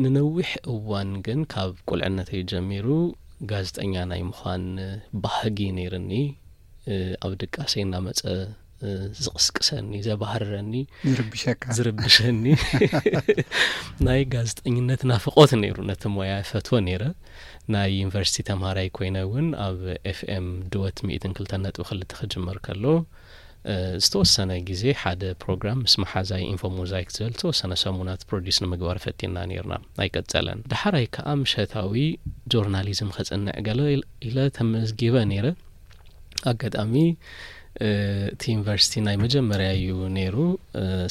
ንነዊሕ እዋን ግን ካብ ቁልዕነተይ ጀሚሩ ጋዜጠኛ ናይ ምዃን ባህጊ ነይርኒ። ኣብ ድቃሰይ እናመፀ ዝቕስቅሰኒ፣ ዘባህርረኒ፣ ዝርብሸካ ዝርብሸኒ ናይ ጋዜጠኝነት ናፍቖት ነይሩ። ነቲ ሞያ ፈትዎ ነይረ። ናይ ዩኒቨርሲቲ ተምሃራይ ኮይነ እውን ኣብ ኤፍኤም ድወት ሚእትን ክልተን ነጥቢ ክልተ ክጅመር ከሎ ዝተወሰነ ግዜ ሓደ ፕሮግራም ምስ መሓዛይ ኢንፎ ሞዛይክ ዝብል ዝተወሰነ ሰሙናት ፕሮዲስ ንምግባር ፈቲና ነይርና። ኣይቀጸለን። ደሓራይ ከኣ ምሸታዊ ጆርናሊዝም ከጽንዕ ገለ ኢለ ተመዝጊበ ነይረ። ኣጋጣሚ እቲ ዩኒቨርሲቲ ናይ መጀመርያ እዩ ነይሩ።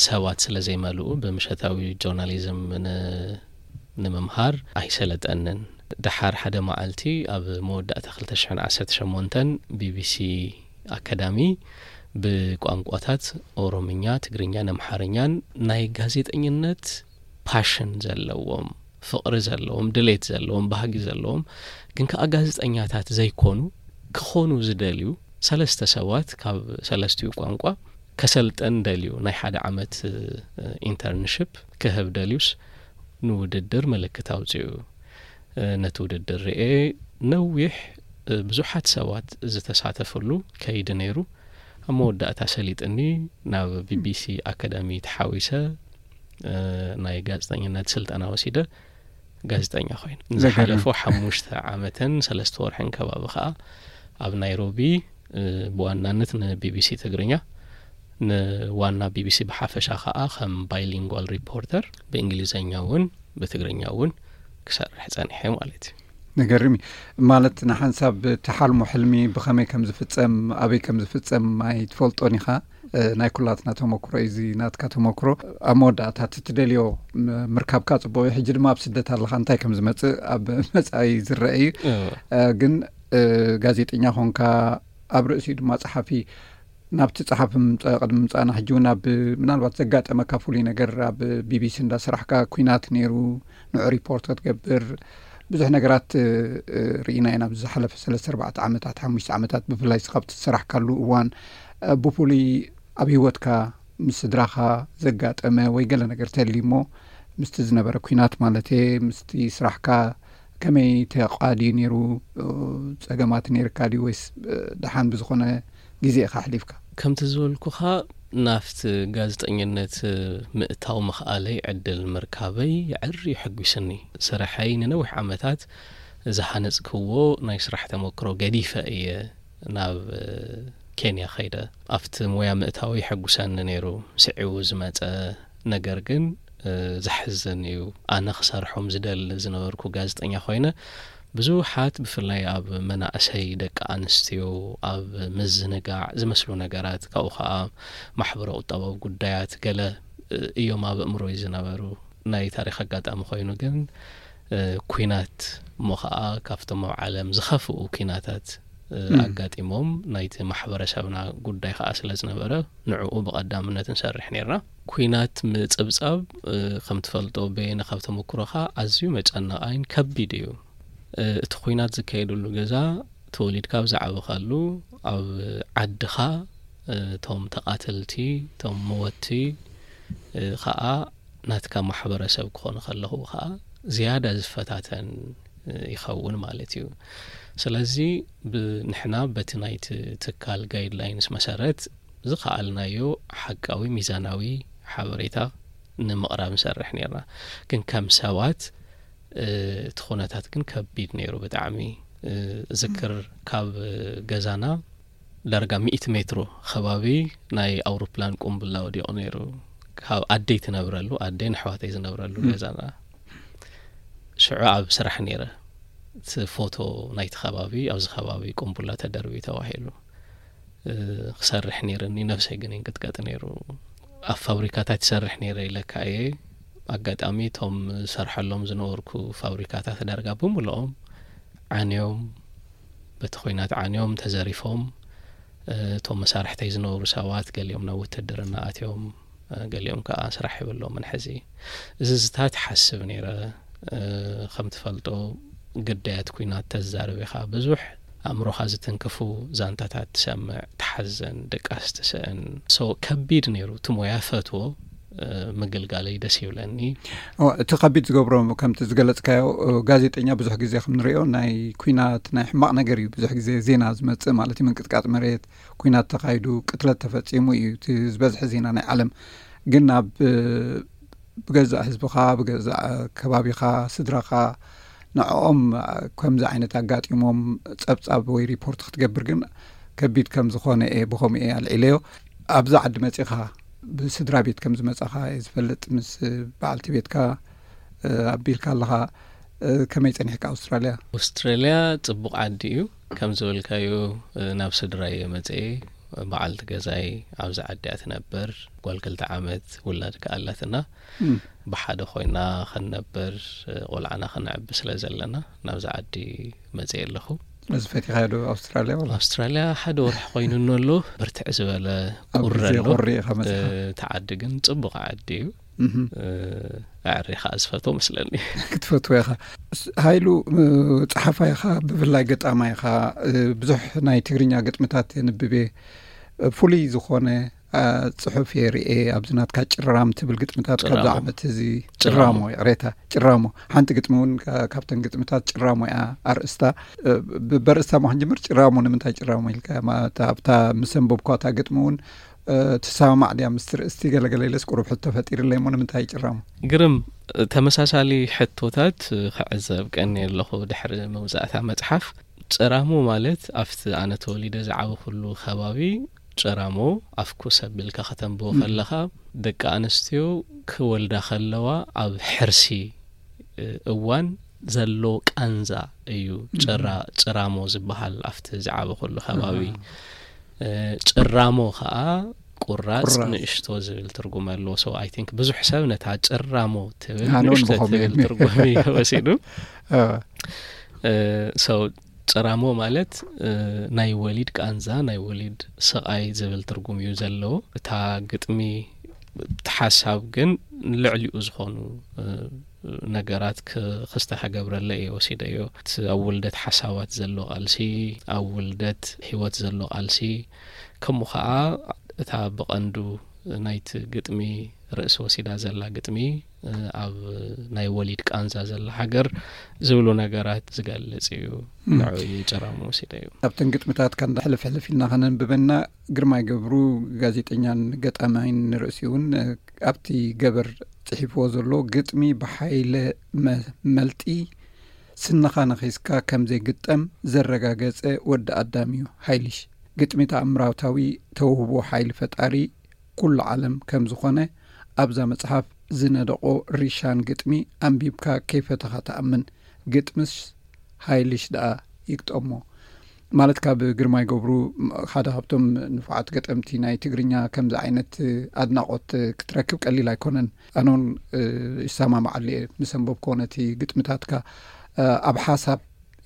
ሰባት ስለ ዘይመልኡ ብምሸታዊ ጆርናሊዝም ንምምሃር ኣይሰለጠንን። ደሓር ሓደ መዓልቲ ኣብ መወዳእታ ክልተ ሽሕን ዓሰርተ ሸሞንተን ቢቢሲ ኣካዳሚ ብቋንቋታት ኦሮምኛ፣ ትግርኛን ኣምሓርኛን ናይ ጋዜጠኝነት ፓሽን ዘለዎም፣ ፍቕሪ ዘለዎም፣ ድሌት ዘለዎም፣ ባህጊ ዘለዎም ግን ከኣ ጋዜጠኛታት ዘይኮኑ ክኾኑ ዝደልዩ ሰለስተ ሰባት ካብ ሰለስቲኡ ቋንቋ ከሰልጠን ደልዩ ናይ ሓደ ዓመት ኢንተርንሽፕ ክህብ ደልዩስ ንውድድር ምልክት ኣውፅኡ። ነቲ ውድድር ርኤ ነዊሕ ብዙሓት ሰባት ዝተሳተፍሉ ከይዲ ነይሩ። ኣብ መወዳእታ ሰሊጥኒ ናብ ቢቢሲ ኣካዳሚ ተሓዊሰ ናይ ጋዜጠኝነት ስልጠና ወሲደ ጋዜጠኛ ኮይነ። ንዝሓለፎ ሓሙሽተ ዓመትን ሰለስተ ወርሕን ከባቢ ከዓ ኣብ ናይሮቢ ብዋናነት ንቢቢሲ ትግርኛ ንዋና ቢቢሲ ብሓፈሻ ከዓ ከም ባይሊንጓል ሪፖርተር ብእንግሊዝኛ እውን ብትግርኛ እውን ክሰርሕ ፀኒሐ ማለት እዩ። ንገርም እዩ። ማለት ንሓንሳብ እቲ ሓልሞ ሕልሚ ብኸመይ ከም ዝፍጸም ኣበይ ከም ዝፍጸም ኣይትፈልጦን ኢኻ። ናይ ኩላትና ተመክሮ እዩ እዚ ናትካ ተመክሮ። ኣብ መወዳእታ እቲ ትደልዮ ምርካብካ ጽቡቕ እዩ። ሕጂ ድማ ኣብ ስደት ኣለኻ፣ እንታይ ከም ዝመጽእ ኣብ መጻኢ ዝረአ እዩ። ግን ጋዜጠኛ ኾንካ ኣብ ርእሲኡ ድማ ጸሓፊ ናብቲ ጸሓፊ ምምጻእ ቅድሚ ምምጻእና ሕጂ እውን ኣብ ምናልባት ዘጋጠመካ ፍሉይ ነገር ኣብ ቢቢሲ እንዳሰራሕካ ኩናት ነይሩ ንዑ ሪፖርት ክትገብር ብዙሕ ነገራት ርኢና ኢና ኣብዚ ዝሓለፈ ሰለስተ ኣርባዕተ ዓመታት ሓሙሽተ ዓመታት ብፍላይ ስኻብ ትሰራሕካሉ እዋን ብፍሉይ ኣብ ህይወትካ ምስ ስድራኻ ዘጋጠመ ወይ ገለ ነገር ተልዩ እሞ ምስቲ ዝነበረ ኩናት ማለት ምስቲ ስራሕካ ከመይ ተቓድዩ ነይሩ? ጸገማት ነይርካ ድዩ ወይስ ደሓን ብዝኾነ ግዜ ኢኻ ኣሕሊፍካ? ከምቲ ዝበልኩኻ ናብቲ ጋዜጠኝነት ምእታው ምኽኣለይ ዕድል ምርካበይ የዕሪ የሐጒስኒ። ስርሐይ ንነዊሕ ዓመታት ዝሃነጽክዎ ናይ ስራሕ ተመክሮ ገዲፈ እየ ናብ ኬንያ ኸይደ። ኣብቲ ሞያ ምእታው የሐጉሰኒ ነይሩ። ስዒቡ ዝመጸ ነገር ግን ዘሕዝን እዩ። ኣነ ክሰርሖም ዝደሊ ዝነበርኩ ጋዜጠኛ ኮይነ ብዙሓት ብፍላይ ኣብ መናእሰይ ደቂ ኣንስትዮ ኣብ ምዝንጋዕ ዝመስሉ ነገራት ካብኡ ከዓ ማሕበረ ቁጠባዊ ጉዳያት ገለ እዮም ኣብ ኣእምሮይ ዝነበሩ። ናይ ታሪክ ኣጋጣሚ ኮይኑ ግን ኩናት እሞ ከዓ ካብቶም ኣብ ዓለም ዝኸፍኡ ኩናታት ኣጋጢሞም ናይቲ ማሕበረሰብና ጉዳይ ከዓ ስለ ዝነበረ ንዕኡ ብቐዳምነት ንሰርሕ ነርና። ኩናት ምፅብፃብ ከም ትፈልጦ በየነ ካብ ተመክሮኻ ኣዝዩ መጨነቓይን ከቢድ እዩ። እቲ ኩናት ዝካየደሉ ገዛ ተወሊድካ ኣብ ዝዓበኻሉ ኣብ ዓድኻ እቶም ተቓተልቲ እቶም መወቲ ከዓ ናትካ ማሕበረሰብ ክኾኑ ከለኹ ከዓ ዝያዳ ዝፈታተን ይኸውን ማለት እዩ። ስለዚ ንሕና በቲ ናይቲ ትካል ጋይድላይንስ መሰረት ዝኸኣልናዮ ሓቃዊ ሚዛናዊ ሓበሬታ ንምቕራብ ንሰርሕ ነርና። ግን ከም ሰባት እቲ ኩነታት ግን ከቢድ ነይሩ ብጣዕሚ። ዝክር ካብ ገዛና ዳርጋ ሚእቲ ሜትሮ ከባቢ ናይ ኣውሮፕላን ቁምብላ ወዲቑ ነይሩ። ካብ ኣደይ ትነብረሉ ኣደይን ኣሕዋተይ ዝነብረሉ ገዛና ሽዑ ኣብ ስራሕ ነይረ። እቲ ፎቶ ናይቲ ከባቢ ኣብዚ ከባቢ ቁምቡላ ተደርቢ ተባሂሉ ክሰርሕ ነይርኒ። ነብሰይ ግን ይንቅጥቀጥ ነይሩ። ኣብ ፋብሪካታት ይሰርሕ ነይረ ኢለካ እየ። ኣጋጣሚ እቶም ዝሰርሐሎም ዝነበርኩ ፋብሪካታት ዳርጋ ብምልኦም ዓንዮም በቲ ኩናት ዓንዮም ተዘሪፎም እቶም መሳርሕተይ ዝነበሩ ሰባት ገሊኦም ናብ ውትድርና ኣትዮም፣ ገሊኦም ከዓ ስራሕ የብሎምን ሕዚ። እዚ ዝታት ሓስብ ነይረ። ከም ትፈልጦ ግዳያት ኩናት ተዛርብ ኢኻ ብዙሕ ኣእምሮኻ ዝትንክፉ ዛንታታት ትሰምዕ፣ ትሓዘን፣ ድቃስ ትስእን። ሶ ከቢድ ነይሩ። እቲ ሞያ ፈትዎ ምግልጋለይ ደስ ይብለኒ። እቲ ከቢድ ዝገብሮ፣ ከምቲ ዝገለጽካዮ፣ ጋዜጠኛ ብዙሕ ግዜ ከም ንሪኦ ናይ ኩናት ናይ ሕማቕ ነገር እዩ ብዙሕ ግዜ ዜና ዝመጽእ፣ ማለት እዩ። ምንቅጥቃጥ መሬት፣ ኩናት ተኻይዱ፣ ቅትለት ተፈጺሙ እዩ እቲ ዝበዝሐ ዜና ናይ ዓለም። ግን ኣብ ብገዛእ ህዝብኻ፣ ብገዛእ ከባቢኻ፣ ስድራኻ፣ ንዕኦም ከምዚ ዓይነት ኣጋጢሞም ጸብጻብ ወይ ሪፖርት ክትገብር ግን ከቢድ ከም ዝኾነ እየ፣ ብኸምኡ እየ ኣልዒለዮ። ኣብዛ ዓዲ መጺኻ፣ ብስድራ ቤት ከም ዝመጻኻ እየ ዝፈልጥ። ምስ በዓልቲ ቤትካ ኣቢልካ ኣለኻ። ከመይ ጸኒሕካ ኣውስትራልያ? ኣውስትራልያ ጽቡቕ ዓዲ እዩ። ከም ዝበልካዮ፣ ናብ ስድራ እየ መጽኤ። በዓልቲ ገዛይ ኣብዚ ዓዲ እያ ትነብር። ጓል ክልተ ዓመት ውላድ ከኣላትና፣ ብሓደ ኮይና ክንነብር፣ ቆልዓና ክነዕቢ ስለ ዘለና ናብዚ ዓዲ መጽኤ ኣለኹ። እዚ ፈቲኻዮ ዶ ኣውስትራልያ? ኣውስትራልያ ሓደ ወርሒ ኮይኑ ኣሎ። ብርትዕ ዝበለ ቁሪ ኣሎ። እቲ ዓዲ ግን ጽቡቕ ዓዲ እዩ። ኣዕሪ ከኣ ዝፈትዎ መስለኒ። ክትፈትዎ ኢኻ። ሃይሉ፣ ጸሓፋይ ኢኻ፣ ብፍላይ ገጣማይ ኢኻ። ብዙሕ ናይ ትግርኛ ግጥምታት የንብብ እየ። ፍሉይ ዝኾነ ጽሑፍ እየ ርኤ፣ ኣብዚ ናትካ ጭራም ትብል ግጥምታት ካብዚ ዓመት እዚ። ጭራሞ፣ ይቕሬታ፣ ጭራሞ። ሓንቲ ግጥሚ እውን ካብተን ግጥምታት ጭራሞ እያ ኣርእስታ። በርእስታ ማ ክንጅምር፣ ጭራሞ ንምንታይ ጭራሞ ኢልካ? ኣብታ ምስ ኣንበብኳ እታ ግጥሚ እውን ትሰማማዕ ድያ ምስቲ ርእስቲ? ገለገለ ኢለስ ቁሩብ ሕቶ ፈጢርለይ እሞ፣ ንምንታይ ጭራሞ? ግርም፣ ተመሳሳሊ ሕቶታት ክዕዘብ ቀኒ ኣለኹ ድሕሪ መውዛእታ መጽሓፍ። ጭራሞ ማለት ኣብቲ ኣነ ተወሊደ ዝዓበኹሉ ከባቢ፣ ጭራሞ ኣፍኩስ ኣቢልካ ከተንብቦ ከለኻ፣ ደቂ ኣንስትዮ ክወልዳ ከለዋ ኣብ ሕርሲ እዋን ዘሎ ቃንዛ እዩ ጭራ-፣ ጭራሞ ዝበሃል ኣብቲ ዝዓበኹሉ ከባቢ። ጭራሞ ከኣ ቁራጽ፣ ቁራጽ። ንእሽቶ ዝብል ትርጉም ኣለዎ። So I think ብዙሕ ሰብ ነታ ጭራሞ ትብል ንእሽቶ ትብል ትርጉም እዩ ወሲዱ። So ጭራሞ ማለት ናይ ወሊድ ቃንዛ፣ ናይ ወሊድ ስቓይ ዝብል ትርጉም እዩ ዘለዎ። እታ ግጥሚ፣ እቲ ሓሳብ ግን ልዕሊኡ ዝኾኑ ነገራት ክስተ ከገብረለ እየ ወሲደዮ። እቲ ኣብ ውልደት ሓሳባት ዘሎ ቃልሲ፣ ኣብ ውልደት ህይወት ዘሎ ቃልሲ፣ ከምኡ ኸዓ እታ ብቐንዱ ናይቲ ግጥሚ ርእሲ ወሲዳ ዘላ ግጥሚ፣ ኣብ ናይ ወሊድ ቃንዛ ዘላ ሃገር ዝብሉ ነገራት ዝገልጽ እዩ። ንዑ እዩ ጭራሞ ወሲደዮ። ኣብተን ግጥምታት ከንዳ ሕልፍ ሕልፍ ኢልና ከነንብበና፣ ግርማይ ገብሩ፣ ጋዜጠኛን ገጣማይን ንርእሲ እውን ኣብቲ ገበር ጽሒፍዎ ዘሎ ግጥሚ ብሓይለ መ-፣ መልጢ ስንኻ ነኺስካ ከም ዘይግጠም ዘረጋገጸ ወዲ ኣዳም እዩ ሃይልሽ። ግጥሚ ተኣምራታዊ ተውህቦ ሓይሊ ፈጣሪ ኩሉ ዓለም ከም ዝኾነ ኣብዛ መጽሓፍ ዝነደቖ ሪሻን ግጥሚ ኣንቢብካ ከይፈተኻ ትኣምን። ግጥምስ ሃይልሽ ደኣ ይግጠሞ። ማለት ካብ ግርማይ ገብሩ ሓደ ካብቶም ንፉዓት ገጠምቲ ናይ ትግርኛ ከምዚ ዓይነት ኣድናቖት ክትረክብ ቀሊል ኣይኮነን። ኣነ እውን ይሰማማዓሉ እየ ምስ ኣንበብኮ ነቲ ግጥምታትካ። ኣብ ሓሳብ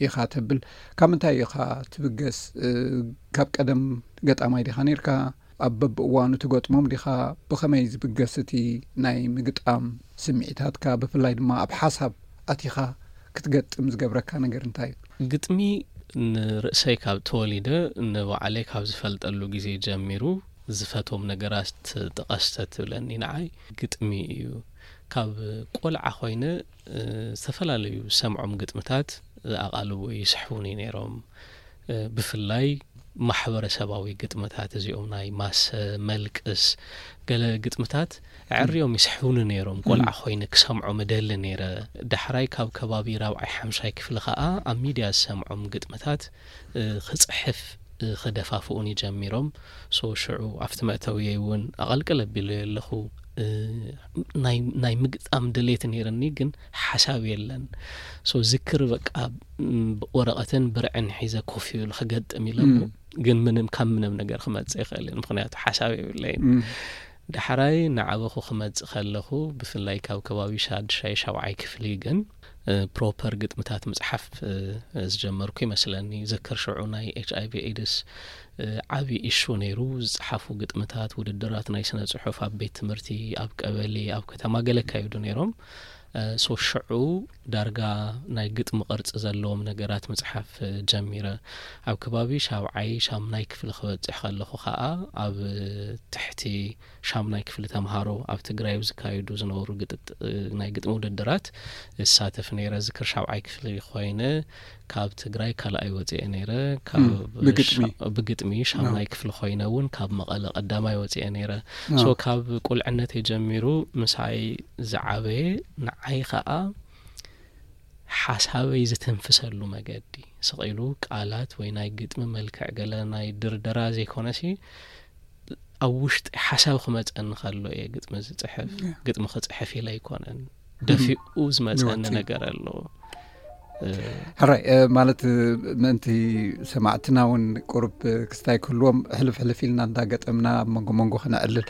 ኢኻ ተብል። ካብ ምንታይ ኢኻ ትብገስ? ካብ ቀደም ገጣማይ ዲኻ ነርካ? ኣብ በብእዋኑ ትገጥሞም ዲኻ? ብኸመይ ዝብገስ እቲ ናይ ምግጣም ስምዒታትካ? ብፍላይ ድማ ኣብ ሓሳብ ኣቲኻ ክትገጥም ዝገብረካ ነገር እንታይ እዩ? ግጥሚ ንርእሰይ ካብ ተወሊደ፣ ንባዕለይ ካብ ዝፈልጠሉ ግዜ ጀሚሩ ዝፈትዎም ነገራት ጥቀስ ተትብለኒ፣ ንዓይ ግጥሚ እዩ። ካብ ቆልዓ ኮይነ፣ እ፣ ዝተፈላለዩ ዝሰምዖም ግጥምታት ኣቓልቦ ይስሕቡኒ ነይሮም። እ፣ ብፍላይ ማሕበረሰባዊ ግጥምታት፣ እዚኦም ናይ ማሰ፣ መልቅስ፣ ገለ ግጥምታት ኣዕርዮም ይስሕቡኒ ነይሮም። ቆልዓ ኮይነ ክሰምዖም እደሊ ነይረ። ዳሕራይ ካብ ከባቢ ራብዓይ ሓምሻይ ክፍሊ ከኣ ኣብ ሚድያ ዝሰምዖም ግጥምታት፣ እ፣ ክጽሕፍ፣ እ፣ ክደፋፍኡኒ ጀሚሮም። ሶ ሽዑ ኣብቲ መእተውየይ እውን ኣቐልቅል ኣቢለዮ ኣለኹ። እ፣ ናይ፣ ናይ ምግጣም ድሌት ነይርኒ፣ ግን ሓሳብ የለን። ሶ ዝክር በቃ፣ ም፣ ወረቐትን ብርዕን ሒዘ ኮፍ ይብል ክገጥም ኢለ እሞ፣ ም። ግን ምንም፣ ካብ ምንም ነገር ክመጽእ ይኽእል እዩ፣ ምኽንያቱ ሓሳብ የብለይን። ም። ዳሕራይ ንዓበኹ ክመጽእ ከለኹ፣ ብፍላይ ካብ ከባቢ ሻድሻይ ሻብዓይ ክፍሊ ግን፣ እ፣ ፕሮፐር ግጥምታት ምጽሓፍ፣ እ፣ ዝጀመርኩ ይመስለኒ። ዝክር ሽዑ ናይ ኤች ኣይ ቪ ኤድስ፣ እ፣ ዓቢ ኢሹ ነይሩ። ዝጸሓፉ ግጥምታት፣ ውድድራት ናይ ስነ ጽሑፍ ኣብ ቤት ትምህርቲ፣ ኣብ ቀበሌ፣ ኣብ ከተማ ገለ ይካየዱ ነይሮም። ሶ ሽዑ ዳርጋ ናይ ግጥሚ ቅርጺ ዘለዎም ነገራት ምጽሓፍ ጀሚረ። ኣብ ከባቢ ሻብዓይ ሻምናይ ክፍሊ ክበጽሕ ከለኹ ከኣ ኣብ ትሕቲ ሻምናይ ክፍሊ ተምሃሮ ኣብ ትግራይ ኣብ ዝካየዱ ዝነበሩ ግጥጥ ናይ ግጥሚ ውድድራት እሳተፍ ነይረ። ዝክር ሻብዓይ ክፍሊ ኮይነ ካብ ትግራይ ካልኣይ ወፅኤ ነይረ። ካብ ብግጥሚ? ሻ- ብግጥሚ ሻምናይ ክፍሊ ኮይነ እውን ካብ መቐለ ቀዳማይ ወፅኤ ነይረ። ሶ ካብ ቁልዕነት የጀሚሩ ምሳይ ዝዓበየ ንዓይ ከዓ ሓሳበይ ዝተንፍሰሉ መገዲ ስቕ ኢሉ ቃላት ወይ ናይ ግጥሚ መልክዕ ገለ ናይ ድርደራ ዘይኮነሲ ኣብ ውሽጢ ሓሳብ ክመፀኒ ከሎ እየ ግጥሚ ዝፅሕፍ። ግጥሚ ክፅሕፍ ኢለ ኣይኮነን፣ ደፊኡ ዝመፀኒ ነገር ኣሎ። ሕራይ ማለት ምእንቲ ሰማዕትና እውን ቁሩብ ክስታይ ክህልዎም ሕልፍ ሕልፍ ኢልና እንዳገጠምና ኣብ መንጎ መንጎ ክነዕልል።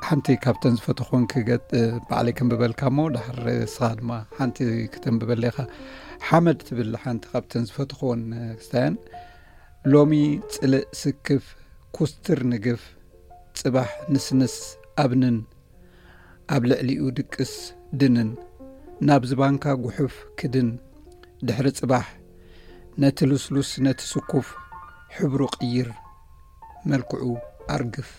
ሓንቲ ካብተን ዝፈተኹን ክገጥ ባዕለይ ከንብበልካ እሞ ድሓር ስኻ ድማ ሓንቲ ክተንብበለይ ኢኻ። ሓመድ ትብል ሓንቲ ካብተን ዝፈተኹን ክስታያን ሎሚ ጽልእ ስክፍ ኩስትር ንግፍ ጽባሕ ንስንስ ኣብንን ኣብ ልዕሊኡ ድቅስ ድንን ናብ ዝባንካ ጉሑፍ ክድን ድሕሪ ጽባሕ ነቲ ልስሉስ ነቲ ስኩፍ ሕብሩ ቅይር መልክዑ ኣርግፍ።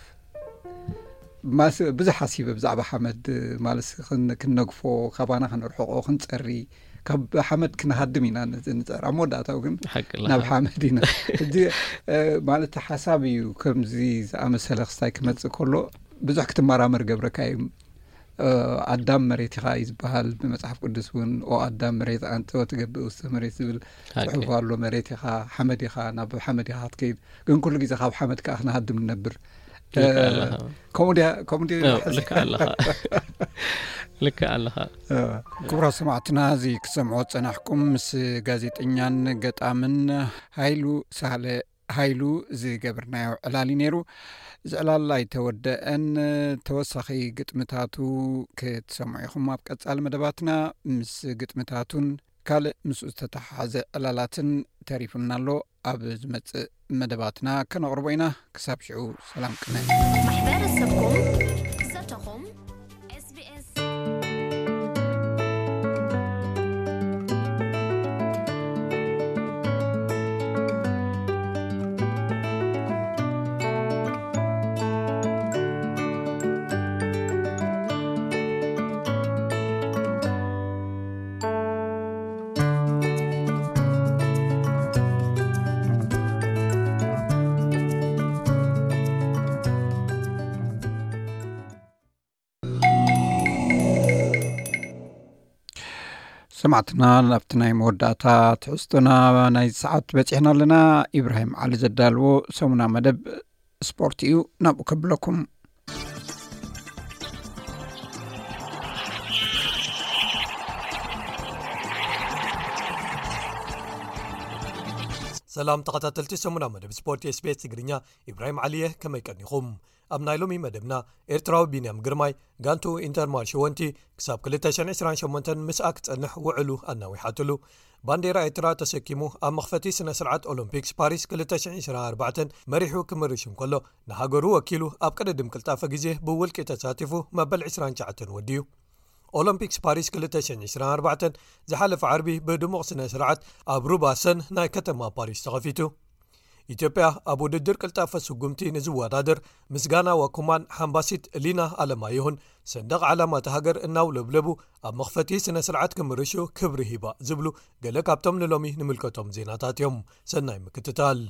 ማስ ብዙሕ ሓሲበ ብዛዕባ ሓመድ ማለት ክን- ክንነግፎ ካባና ክንርሕቆ ክንጸሪ ካብ ሓመድ ክንሃድም ኢና ንጽ- ንጸር ኣብ መወዳእታው ግን ሓቂ ኣለኻ። ናብ ሓመድ ኢና። ሕጂ ማለት ሓሳብ እዩ ከምዚ ዝኣመሰለ ክስታይ ክመጽእ ከሎ ብዙሕ ክትመራመር ገብረካ እዩ። ኣዳም መሬት ኢኻ እዩ ዝበሃል ብመጽሓፍ ቅዱስ እውን ኦ ኣዳም መሬት ኣንተ ወትገብእ ውስተ መሬት ዝብል ሓቂ። ጽሑፍ ኣሎ። መሬት ኢኻ ሓመድ ኢኻ ናብ ሓመድ ኢኻ ክትከይድ ግን ኩሉ ግዜ ካብ ሓመድ ከዓ ክንሃድም ንነብር። ልክዕ ኣለኻ። ከምኡ ድያ ከምኡ ድዩ ዝሓስብ? ልክዕ ኣለኻ። ልክዕ ኣለኻ። ክቡራት ሰማዕትና እዚ ክሰምዖ ዝጸናሕኩም ምስ ጋዜጠኛን ገጣምን ሃይሉ ሳህለ ሃይሉ ዝገበርናዮ ዕላል እዩ ነይሩ። እዚ ዕላል ኣይተወደአን። ተወሳኺ ግጥምታቱ ክትሰምዑ ኢኹም ኣብ ቀጻሊ መደባትና። ምስ ግጥምታቱን ካልእ ምስኡ ዝተተሓሓዘ ዕላላትን ተሪፉና ኣሎ። ኣብ ዝመጽእ መደባትና ከነቕርቦ ኢና። ክሳብ ሽዑ ሰላም ቅነ። ማሕበረሰብኩም ዘተኹም SBS። ሰማዕትና ናብቲ ናይ መወዳእታ ትሕዝቶና ናይ ሰዓት በፂሕና ኣለና። ኢብራሂም ዓሊ ዘዳልዎ ሰሙና መደብ ስፖርት እዩ፣ ናብኡ ከብለኩም። ሰላም ተኸታተልቲ ሰሙና መደብ ስፖርት SBS ትግርኛ፣ ኢብራሂም ዓሊየ፣ ከመይ ቀኒኹም? ኣብ ናይ ሎሚ መደብና ኤርትራዊ ቢንያም ግርማይ ጋንቱ ኢንተርማል ሸወንቲ ክሳብ ክልተ ሽሕን ዕስራን ሸሞንተን ምስኣ ክጸንሕ ውዕሉ ኣናዊሓትሉ። ባንዴራ ኤርትራ ተሰኪሙ ኣብ መኽፈቲ ስነ ስርዓት ኦሎምፒክስ ፓሪስ ክልተ ሽሕን ዕስራን ኣርባዕተን መሪሑ ክምርሽ እንከሎ ንሃገሩ ወኪሉ ኣብ ቅድድም ቅልጣፈ ግዜ ብውልቂ ተሳቲፉ መበል ዕስራን ትሽዓተን ወዲኡ። ኦሎምፒክስ ፓሪስ ክልተ ሽሕን ዕስራን ኣርባዕተን ዝሓለፈ ዓርቢ ብድሙቕ ስነ ስርዓት ኣብ ሩባ ሰን ናይ ከተማ ፓሪስ ተኸፊቱ። ኢትዮጵያ ኣብ ውድድር ቅልጣፈ ስጉምቲ ንዝወዳደር ምስጋና ዋኩማን ሓምባሲት ሊና ኣለማየሁን ሰንደቕ ዓላማ እታ ሃገር እናውለብለቡ ኣብ መኽፈቲ ስነ ስርዓት ክምርሹ ክብሪ ሂባ ዝብሉ ገለ ካብቶም ንሎሚ ንምልከቶም ዜናታት እዮም። ሰናይ ምክትታል።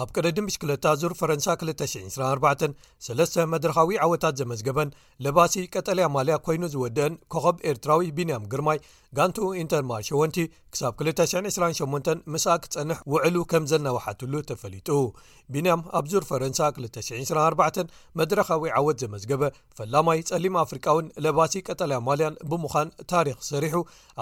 ኣብ ቅድድም ብሽክለታ ዙር ፈረንሳ ክልተ ሽሕን ዕስራን ኣርባዕተን ሰለስተ መድረኻዊ ዓወታት ዘመዝገበን ለባሲ ቀጠልያ ማልያ ኮይኑ ዝወደአን ኮኸብ ኤርትራዊ ቢንያም ግርማይ ጋንቱ ኢንተርማል ሸወንቲ ክሳብ ክልተ ሽሕን ዕስራን ሸሞንተን ምስኣ ክጸንሕ ውዕሉ ከም ዘናውሓትሉ ተፈሊጡ። ቢንያም ኣብ ዙር ፈረንሳ ክልተ ሽሕን ዕስራን ኣርባዕተን መድረኻዊ ዓወት ዘመዝገበ ፈላማይ ጸሊም ኣፍሪቃውን ለባሲ ቀጠልያ ማልያን ብምዃን ታሪኽ ሰሪሑ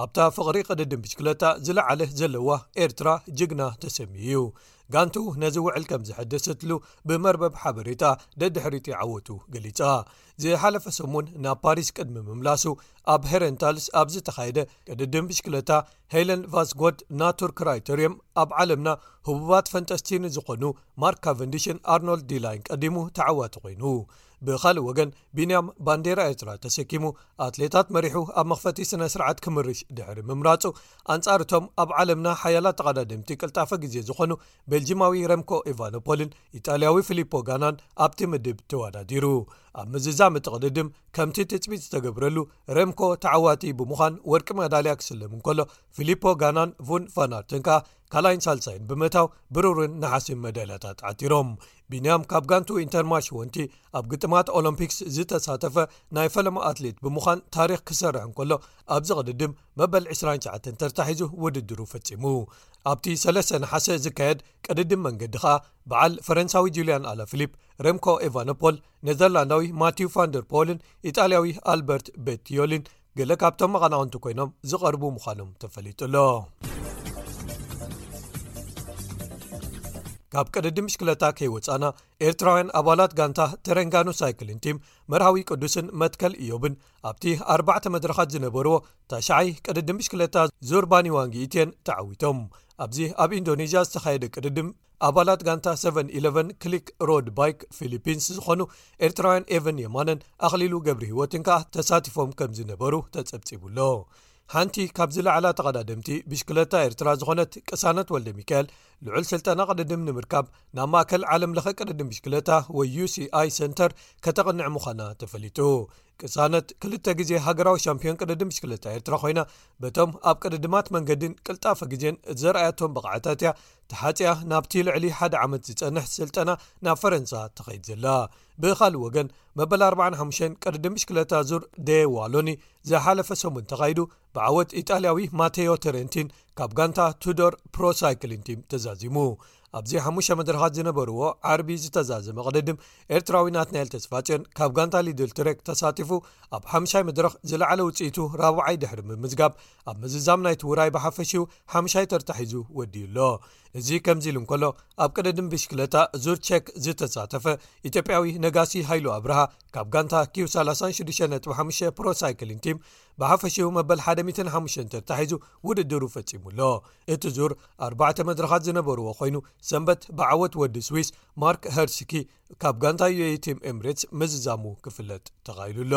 ኣብታ ፍቕሪ ቅድድም ብሽክለታ ዝለዓለ ዘለዋ ኤርትራ ጅግና ተሰምዩ እዩ። ጋንቱ ነዚ ውዕል ከም ዘሐደሰትሉ ብመርበብ ሓበሬታ ደድሕሪቲ ዓወቱ ገሊጻ። ዝሓለፈ ሰሙን ናብ ፓሪስ ቅድሚ ምምላሱ ኣብ ሄረንታልስ ኣብ ዝተኻየደ ቅድድም ብሽክለታ ሄለን ቫስጎድ ናቱር ክራይተርየም ኣብ ዓለምና ህቡባት ፈንጠስቲ ንዝኾኑ ማርክ ካቨንዲሽን ኣርኖልድ ዲላይን ቀዲሙ ተዓዋቲ ኮይኑ። ብኻልእ ወገን፣ ቢንያም ባንዴራ ኤርትራ ተሰኪሙ ኣትሌታት መሪሑ ኣብ መኽፈቲ ስነ ስርዓት ክምርሽ ድሕሪ ምምራጹ፣ ኣንጻር እቶም ኣብ ዓለምና ሓያላት ተቐዳደምቲ ቅልጣፈ ግዜ ዝኾኑ ቤልጂማዊ ረምኮ ኤቫኖፖልን ኢጣልያዊ ፊሊፖ ጋናን ኣብቲ ምድብ ተወዳዲሩ። ኣብ ምዝዛም እቲ ቅድድም ከምቲ ትጽቢት ዝተገብረሉ ረምኮ ተዓዋቲ ብምዃን ወርቂ መዳልያ ክስለም እንከሎ፣ ፊሊፖ ጋናን ቡን ፋናርትን ከኣ ካልኣይን ሳልሳይን ብምእታው ብሩርን ነሓስን መዳልያታት ዓቲሮም። ቢንያም ካብ ጋንቱ ኢንተርማሽ ወንቲ ኣብ ግጥማት ኦሎምፒክስ ዝተሳተፈ ናይ ፈለማ ኣትሌት ብምዃን ታሪኽ ክሰርሕ እንከሎ፣ ኣብዚ ቅድድም መበል ዕስራን ትሽዓተን ተርታ ሒዙ ውድድሩ ፈጺሙ። ኣብቲ ሰለስተ ነሓሰ ዝካየድ ቅድድም መንገዲ ከኣ በዓል ፈረንሳዊ ጁልያን ኣላፊሊፕ፣ ረምኮ ኤቫኖፖል፣ ኔዘርላንዳዊ ማቲው ፋንደር ፖልን ኢጣልያዊ ኣልበርት ቤቲዮሊን ገለ ካብቶም መቐናቕንቲ ኮይኖም ዝቐርቡ ምዃኖም ተፈሊጡ ኣሎ። ካብ ቅድድም ብሽክለታ ከይወጻና፣ ኤርትራውያን ኣባላት ጋንታ ተረንጋኑ ሳይክሊን ቲም መርሃዊ ቅዱስን መትከል ኢዮብን ኣብቲ ኣርባዕተ መድረኻት ዝነበርዎ ታሽዓይ ቅድድም ብሽክለታ ዙር ባኒዋንጊ ኢትየን ተዓዊቶም። ኣብዚ ኣብ ኢንዶኔዥያ ዝተኻየደ ቅድድም፣ ኣባላት ጋንታ ሰቨን ኢለቨን ክሊክ ሮድ ባይክ ፊሊፒንስ ዝኾኑ ኤርትራውያን ኤቨን የማነን ኣኽሊሉ ገብረ ህይወትን ከኣ ተሳቲፎም ከም ዝነበሩ ተጸብጺቡ ኣሎ። ሓንቲ ካብ ዝለዓላ ተቐዳደምቲ ብሽክለታ ኤርትራ ዝኾነት ቅሳነት ወልደ ሚካኤል፣ ልዑል ስልጠና ቅድድም ንምርካብ ናብ ማእከል ዓለም ለኸ ቅድድም ብሽክለታ ወይ ዩ ሲ ኣይ ሰንተር ከተቕንዕ ምዃና ተፈሊጡ። ቅሳነት ክልተ ግዜ ሃገራዊ ሻምፒዮን ቅድድም ብሽክለታ ኤርትራ ኮይና፣ በቶም ኣብ ቅድድማት መንገድን ቅልጣፈ ግዜን ዘርኣያቶም ብቕዓታት እያ ተሓጽያ ናብቲ ልዕሊ ሓደ ዓመት ዝጸንሕ ስልጠና ናብ ፈረንሳ ትኸይድ ዘላ። ብኻልእ ወገን፣ መበል ኣርባዓን ሓሙሽተን ቅድድም ብሽክለታ ዙር ደ ዋሎኒ ዝሓለፈ ሰሙን ተኻይዱ፣ ብዓወት ኢጣልያዊ ማቴዮ ተረንቲን ካብ ጋንታ ቱዶር ፕሮ ሳይክሊን ቲም ተዛዚሙ። ኣብዚ ሓሙሽተ መድረኻት ዝነበርዎ ዓርቢ ዝተዛዘመ ቅድድም፣ ኤርትራዊ ናትናኤል ተስፋጽዮን ካብ ጋንታ ሊድል ትሬክ ተሳቲፉ፣ ኣብ ሓምሻይ መድረኽ ዝለዓለ ውጽኢቱ ራብዓይ ድሕሪ ምምዝጋብ፣ ኣብ ምዝዛም ናይቲ ውራይ ብሓፈሽኡ ሓምሻይ ተርታ ሒዙ ወዲኡ ኣሎ። እዚ ከምዚ ኢሉ እንከሎ፣ ኣብ ቅድድም ብሽክለታ ዙር ቼክ ዝተሳተፈ ኢትዮጵያዊ ነጋሲ ሃይሉ ኣብርሃ ካብ ጋንታ ኪው ሰላሳን ሽዱሽተን ነጥቢ ሓሙሽተ ፕሮ ሳይክሊን ቲም ብሓፈሽኡ መበል ሓደ ሚእትን ሓሙሽተን ተርታ ሒዙ ውድድሩ ፈጺሙ ኣሎ። እቲ ዙር ኣርባዕተ መድረኻት ዝነበርዎ ኮይኑ፣ ሰንበት ብዓወት ወዲ ስዊስ ማርክ ሄርስኪ ካብ ጋንታ ዩ ኤ ኢ ቲም ኤምሬትስ ምዝዛሙ ክፍለጥ ተኻኢሉ ኣሎ።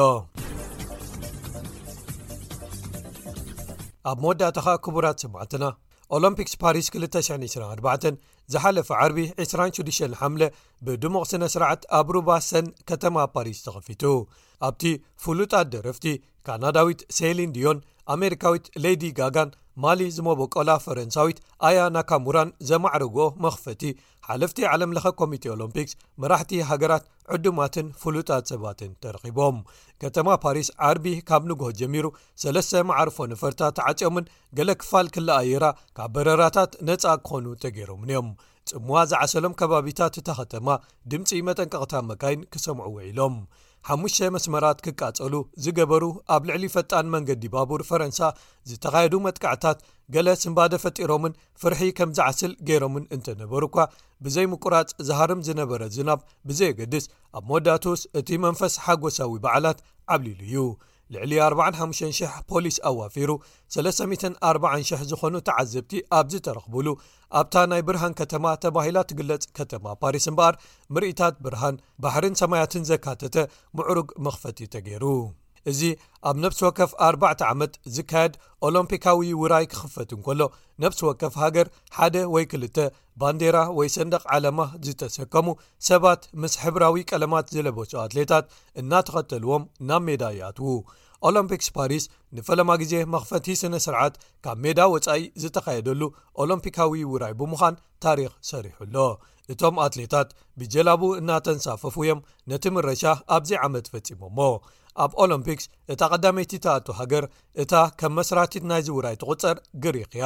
ኣብ መወዳእታ ኸኣ፣ ክቡራት ሰማዕትና፣ ኦሎምፒክስ ፓሪስ ክልተ ሽሕን ዕስራን ኣርባዕተን ዝሓለፈ ዓርቢ ዕስራን ሽዱሽተን ሓምለ ብድሙቕ ስነ ስርዓት ኣብ ሩባ ሰን ከተማ ፓሪስ ተኸፊቱ። ኣብቲ ፍሉጣት ደረፍቲ ካናዳዊት ሴሊን ዲዮን፣ ኣሜሪካዊት ሌዲ ጋጋን ማሊ ዝመበቆላ ፈረንሳዊት ኣያ ናካሙራን ዘማዕረጎ መኽፈቲ፣ ሓለፍቲ ዓለም ለኸ ኮሚቴ ኦሎምፒክስ፣ መራሕቲ ሃገራት፣ ዕዱማትን ፍሉጣት ሰባትን ተረኺቦም። ከተማ ፓሪስ ዓርቢ ካብ ንግሆ ጀሚሩ ሰለስተ መዓርፎ ነፈርታ ተዓጽዮምን ገለ ክፋል ክልኣየራ ካብ በረራታት ነጻ ክኾኑ ተገይሮምን እዮም። ጽምዋ ዝዓሰሎም ከባቢታት እታ ከተማ ድምጺ መጠንቀቕታ መካይን ክሰምዑ ውዒሎም። ሓሙሽተ መስመራት ክቃጸሉ ዝገበሩ ኣብ ልዕሊ ፈጣን መንገዲ ባቡር ፈረንሳ ዝተኻየዱ መጥቃዕታት ገለ ስንባደ ፈጢሮምን ፍርሒ ከም ዝዓስል ገይሮምን እንተነበሩ እኳ፣ ብዘይ ምቁራጽ ዝሃርም ዝነበረ ዝናብ ብዘየገድስ፣ ኣብ መወዳእትኡስ እቲ መንፈስ ሓጎሳዊ በዓላት ዓብሊሉ እዩ። ልዕሊ ኣርባዓን ሓሙሽተን ሽሕ ፖሊስ ኣዋፊሩ፣ ሰለስተ ሚእትን ኣርባዓን ሽሕ ዝኾኑ ተዓዘብቲ ኣብ ዝተረኽቡሉ፣ ኣብታ ናይ ብርሃን ከተማ ተባሂላ ትግለጽ ከተማ ፓሪስ እምበኣር፣ ምርኢታት ብርሃን ባሕርን ሰማያትን ዘካተተ ምዕሩግ መኽፈቲ ተገይሩ። እዚ ኣብ ነፍሲ ወከፍ ኣርባዕተ ዓመት ዝካየድ ኦሎምፒካዊ ውራይ ክኽፈት እንከሎ፣ ነፍሲ ወከፍ ሃገር ሓደ ወይ ክልተ ባንዴራ ወይ ሰንደቕ ዓላማ ዝተሰከሙ ሰባት ምስ ሕብራዊ ቀለማት ዝለበሱ ኣትሌታት እናተኸተልዎም ናብ ሜዳ ይኣትዉ። ኦሎምፒክስ ፓሪስ ንፈለማ ግዜ መኽፈቲ ስነ ስርዓት ካብ ሜዳ ወጻኢ ዝተኻየደሉ ኦሎምፒካዊ ውራይ ብምዃን ታሪኽ ሰሪሑ ኣሎ። እቶም ኣትሌታት ብጀላቡ እናተንሳፈፉ እዮም ነቲ ምረሻ ኣብዚ ዓመት ፈጺሞሞ። ኣብ ኦሎምፒክስ እታ ቀዳመይቲ ትኣቱ ሃገር፣ እታ ከም መስራቲት ናይዚ ውራይ ትቑጸር ግሪኽ እያ።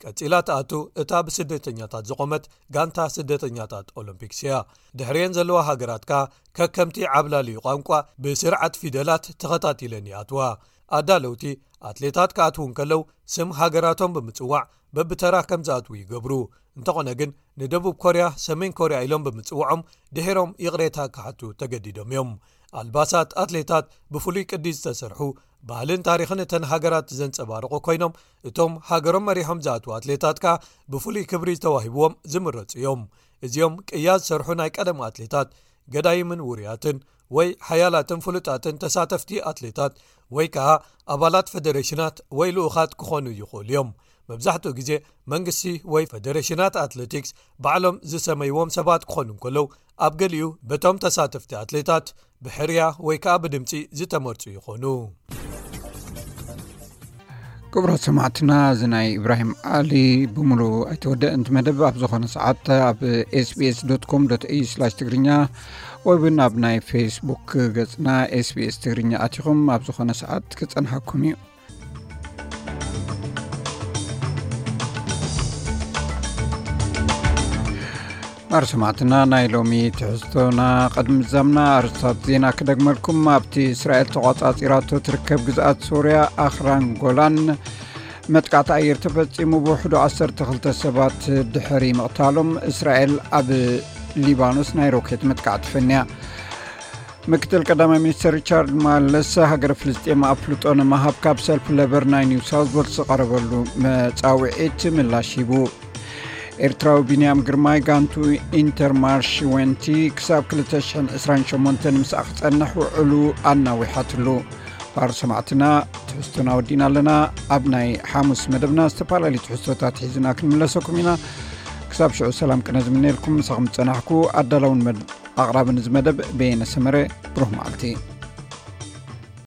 ቀጺላ ትኣቱ እታ ብስደተኛታት ዝቖመት ጋንታ ስደተኛታት ኦሎምፒክስ እያ። ድሕሪየን ዘለዋ ሃገራት ከኣ ከከምቲ ዓብላሊ ቋንቋ ብስርዓት ፊደላት ተኸታቲለን ይኣትዋ። ኣዳለውቲ፣ ኣትሌታት ክኣትዉ እንከለዉ ስም ሃገራቶም ብምጽዋዕ በብተራ ከም ዝኣትዉ ይገብሩ። እንተኾነ ግን፣ ንደቡብ ኮርያ ሰሜን ኮርያ ኢሎም ብምጽውዖም ድሒሮም ይቕሬታ ክሓቱ ተገዲዶም እዮም። ኣልባሳት ኣትሌታት ብፍሉይ ቅዲ ዝተሰርሑ፣ ባህልን ታሪኽን እተን ሃገራት ዘንጸባርቑ ኮይኖም፣ እቶም ሃገሮም መሪሖም ዝኣትዉ ኣትሌታት ከኣ ብፍሉይ ክብሪ ተዋሂብዎም ዝምረጹ እዮም። እዚኦም ቅያ ዝሰርሑ ናይ ቀደም ኣትሌታት፣ ገዳይምን ውሩያትን ወይ ሓያላትን ፍሉጣትን ተሳተፍቲ ኣትሌታት፣ ወይ ከኣ ኣባላት ፈደሬሽናት ወይ ልኡኻት ክኾኑ ይኽእሉ እዮም። መብዛሕትኡ ግዜ መንግስቲ ወይ ፈደሬሽናት ኣትሌቲክስ ባዕሎም ዝሰመይዎም ሰባት ክኾኑ እንከለዉ፣ ኣብ ገሊኡ በቶም ተሳተፍቲ ኣትሌታት ብሕርያ ወይ ከኣ ብድምጺ ዝተመርጹ ይኾኑ። ክቡራት ሰማዕትና፣ እዚ ናይ ኢብራሂም ዓሊ ብምሉእ ኣይተወደእን እቲ መደብ። ኣብ ዝኾነ ሰዓት ኣብ ኤስቢኤስ ዶት ኮም ዶት ኤዩ ስላሽ ትግርኛ ወይ እውን ኣብ ናይ ፌስቡክ ገጽና ኤስቢኤስ ትግርኛ ኣቲኹም ኣብ ዝኾነ ሰዓት ክጸንሓኩም እዩ። ማር ሰማዕትና፣ ናይ ሎሚ ትሕዝቶና ቅድሚ ምዛምና ኣርስታት ዜና ክደግመልኩም። ኣብቲ እስራኤል ተቋጻጺራቶ ትርከብ ግዝኣት ሶርያ ኣኽራን ጎላን መጥቃዕቲ ኣየር ተፈጺሙ፣ ብውሕዱ ዓሰርተ ክልተ ሰባት ድሕሪ ምቕታሎም፣ እስራኤል ኣብ ሊባኖስ ናይ ሮኬት መጥቃዕቲ ፈንያ። ምክትል ቀዳማይ ሚኒስትር ሪቻርድ ማለስ፣ ሃገረ ፍልስጤም ኣፍልጦ ንምሃብ ካብ ሰልፊ ለበር ናይ ኒው ሳውዝ ዌልስ ዝቐረበሉ መጻውዒት ምላሽ ሂቡ። ኤርትራዊ ቢንያም ግርማይ ጋንቱ ኢንተርማርሽ ወንቲ ክሳብ ክልተ ሽሕን ዕስራን ሸሞንተን ምስኣ ክጸንሕ ውዕሉ ኣናዊሓትሉ። ባር ሰማዕትና፣ ትሕዝቶና ወዲና ኣለና። ኣብ ናይ ሓሙስ መደብና ዝተፈላለዩ ትሕዝቶታት ሒዝና ክንምለሰኩም ኢና። ክሳብ ሽዑ ሰላም ቅነ ዝምነየልኩም፣ ምሳኹም ዝጸናሕኩ ኣዳላውን መድ-፣ ኣቕራብን እዚ መደብ በየነ ሰመረ። ብሩህ መዓልቲ።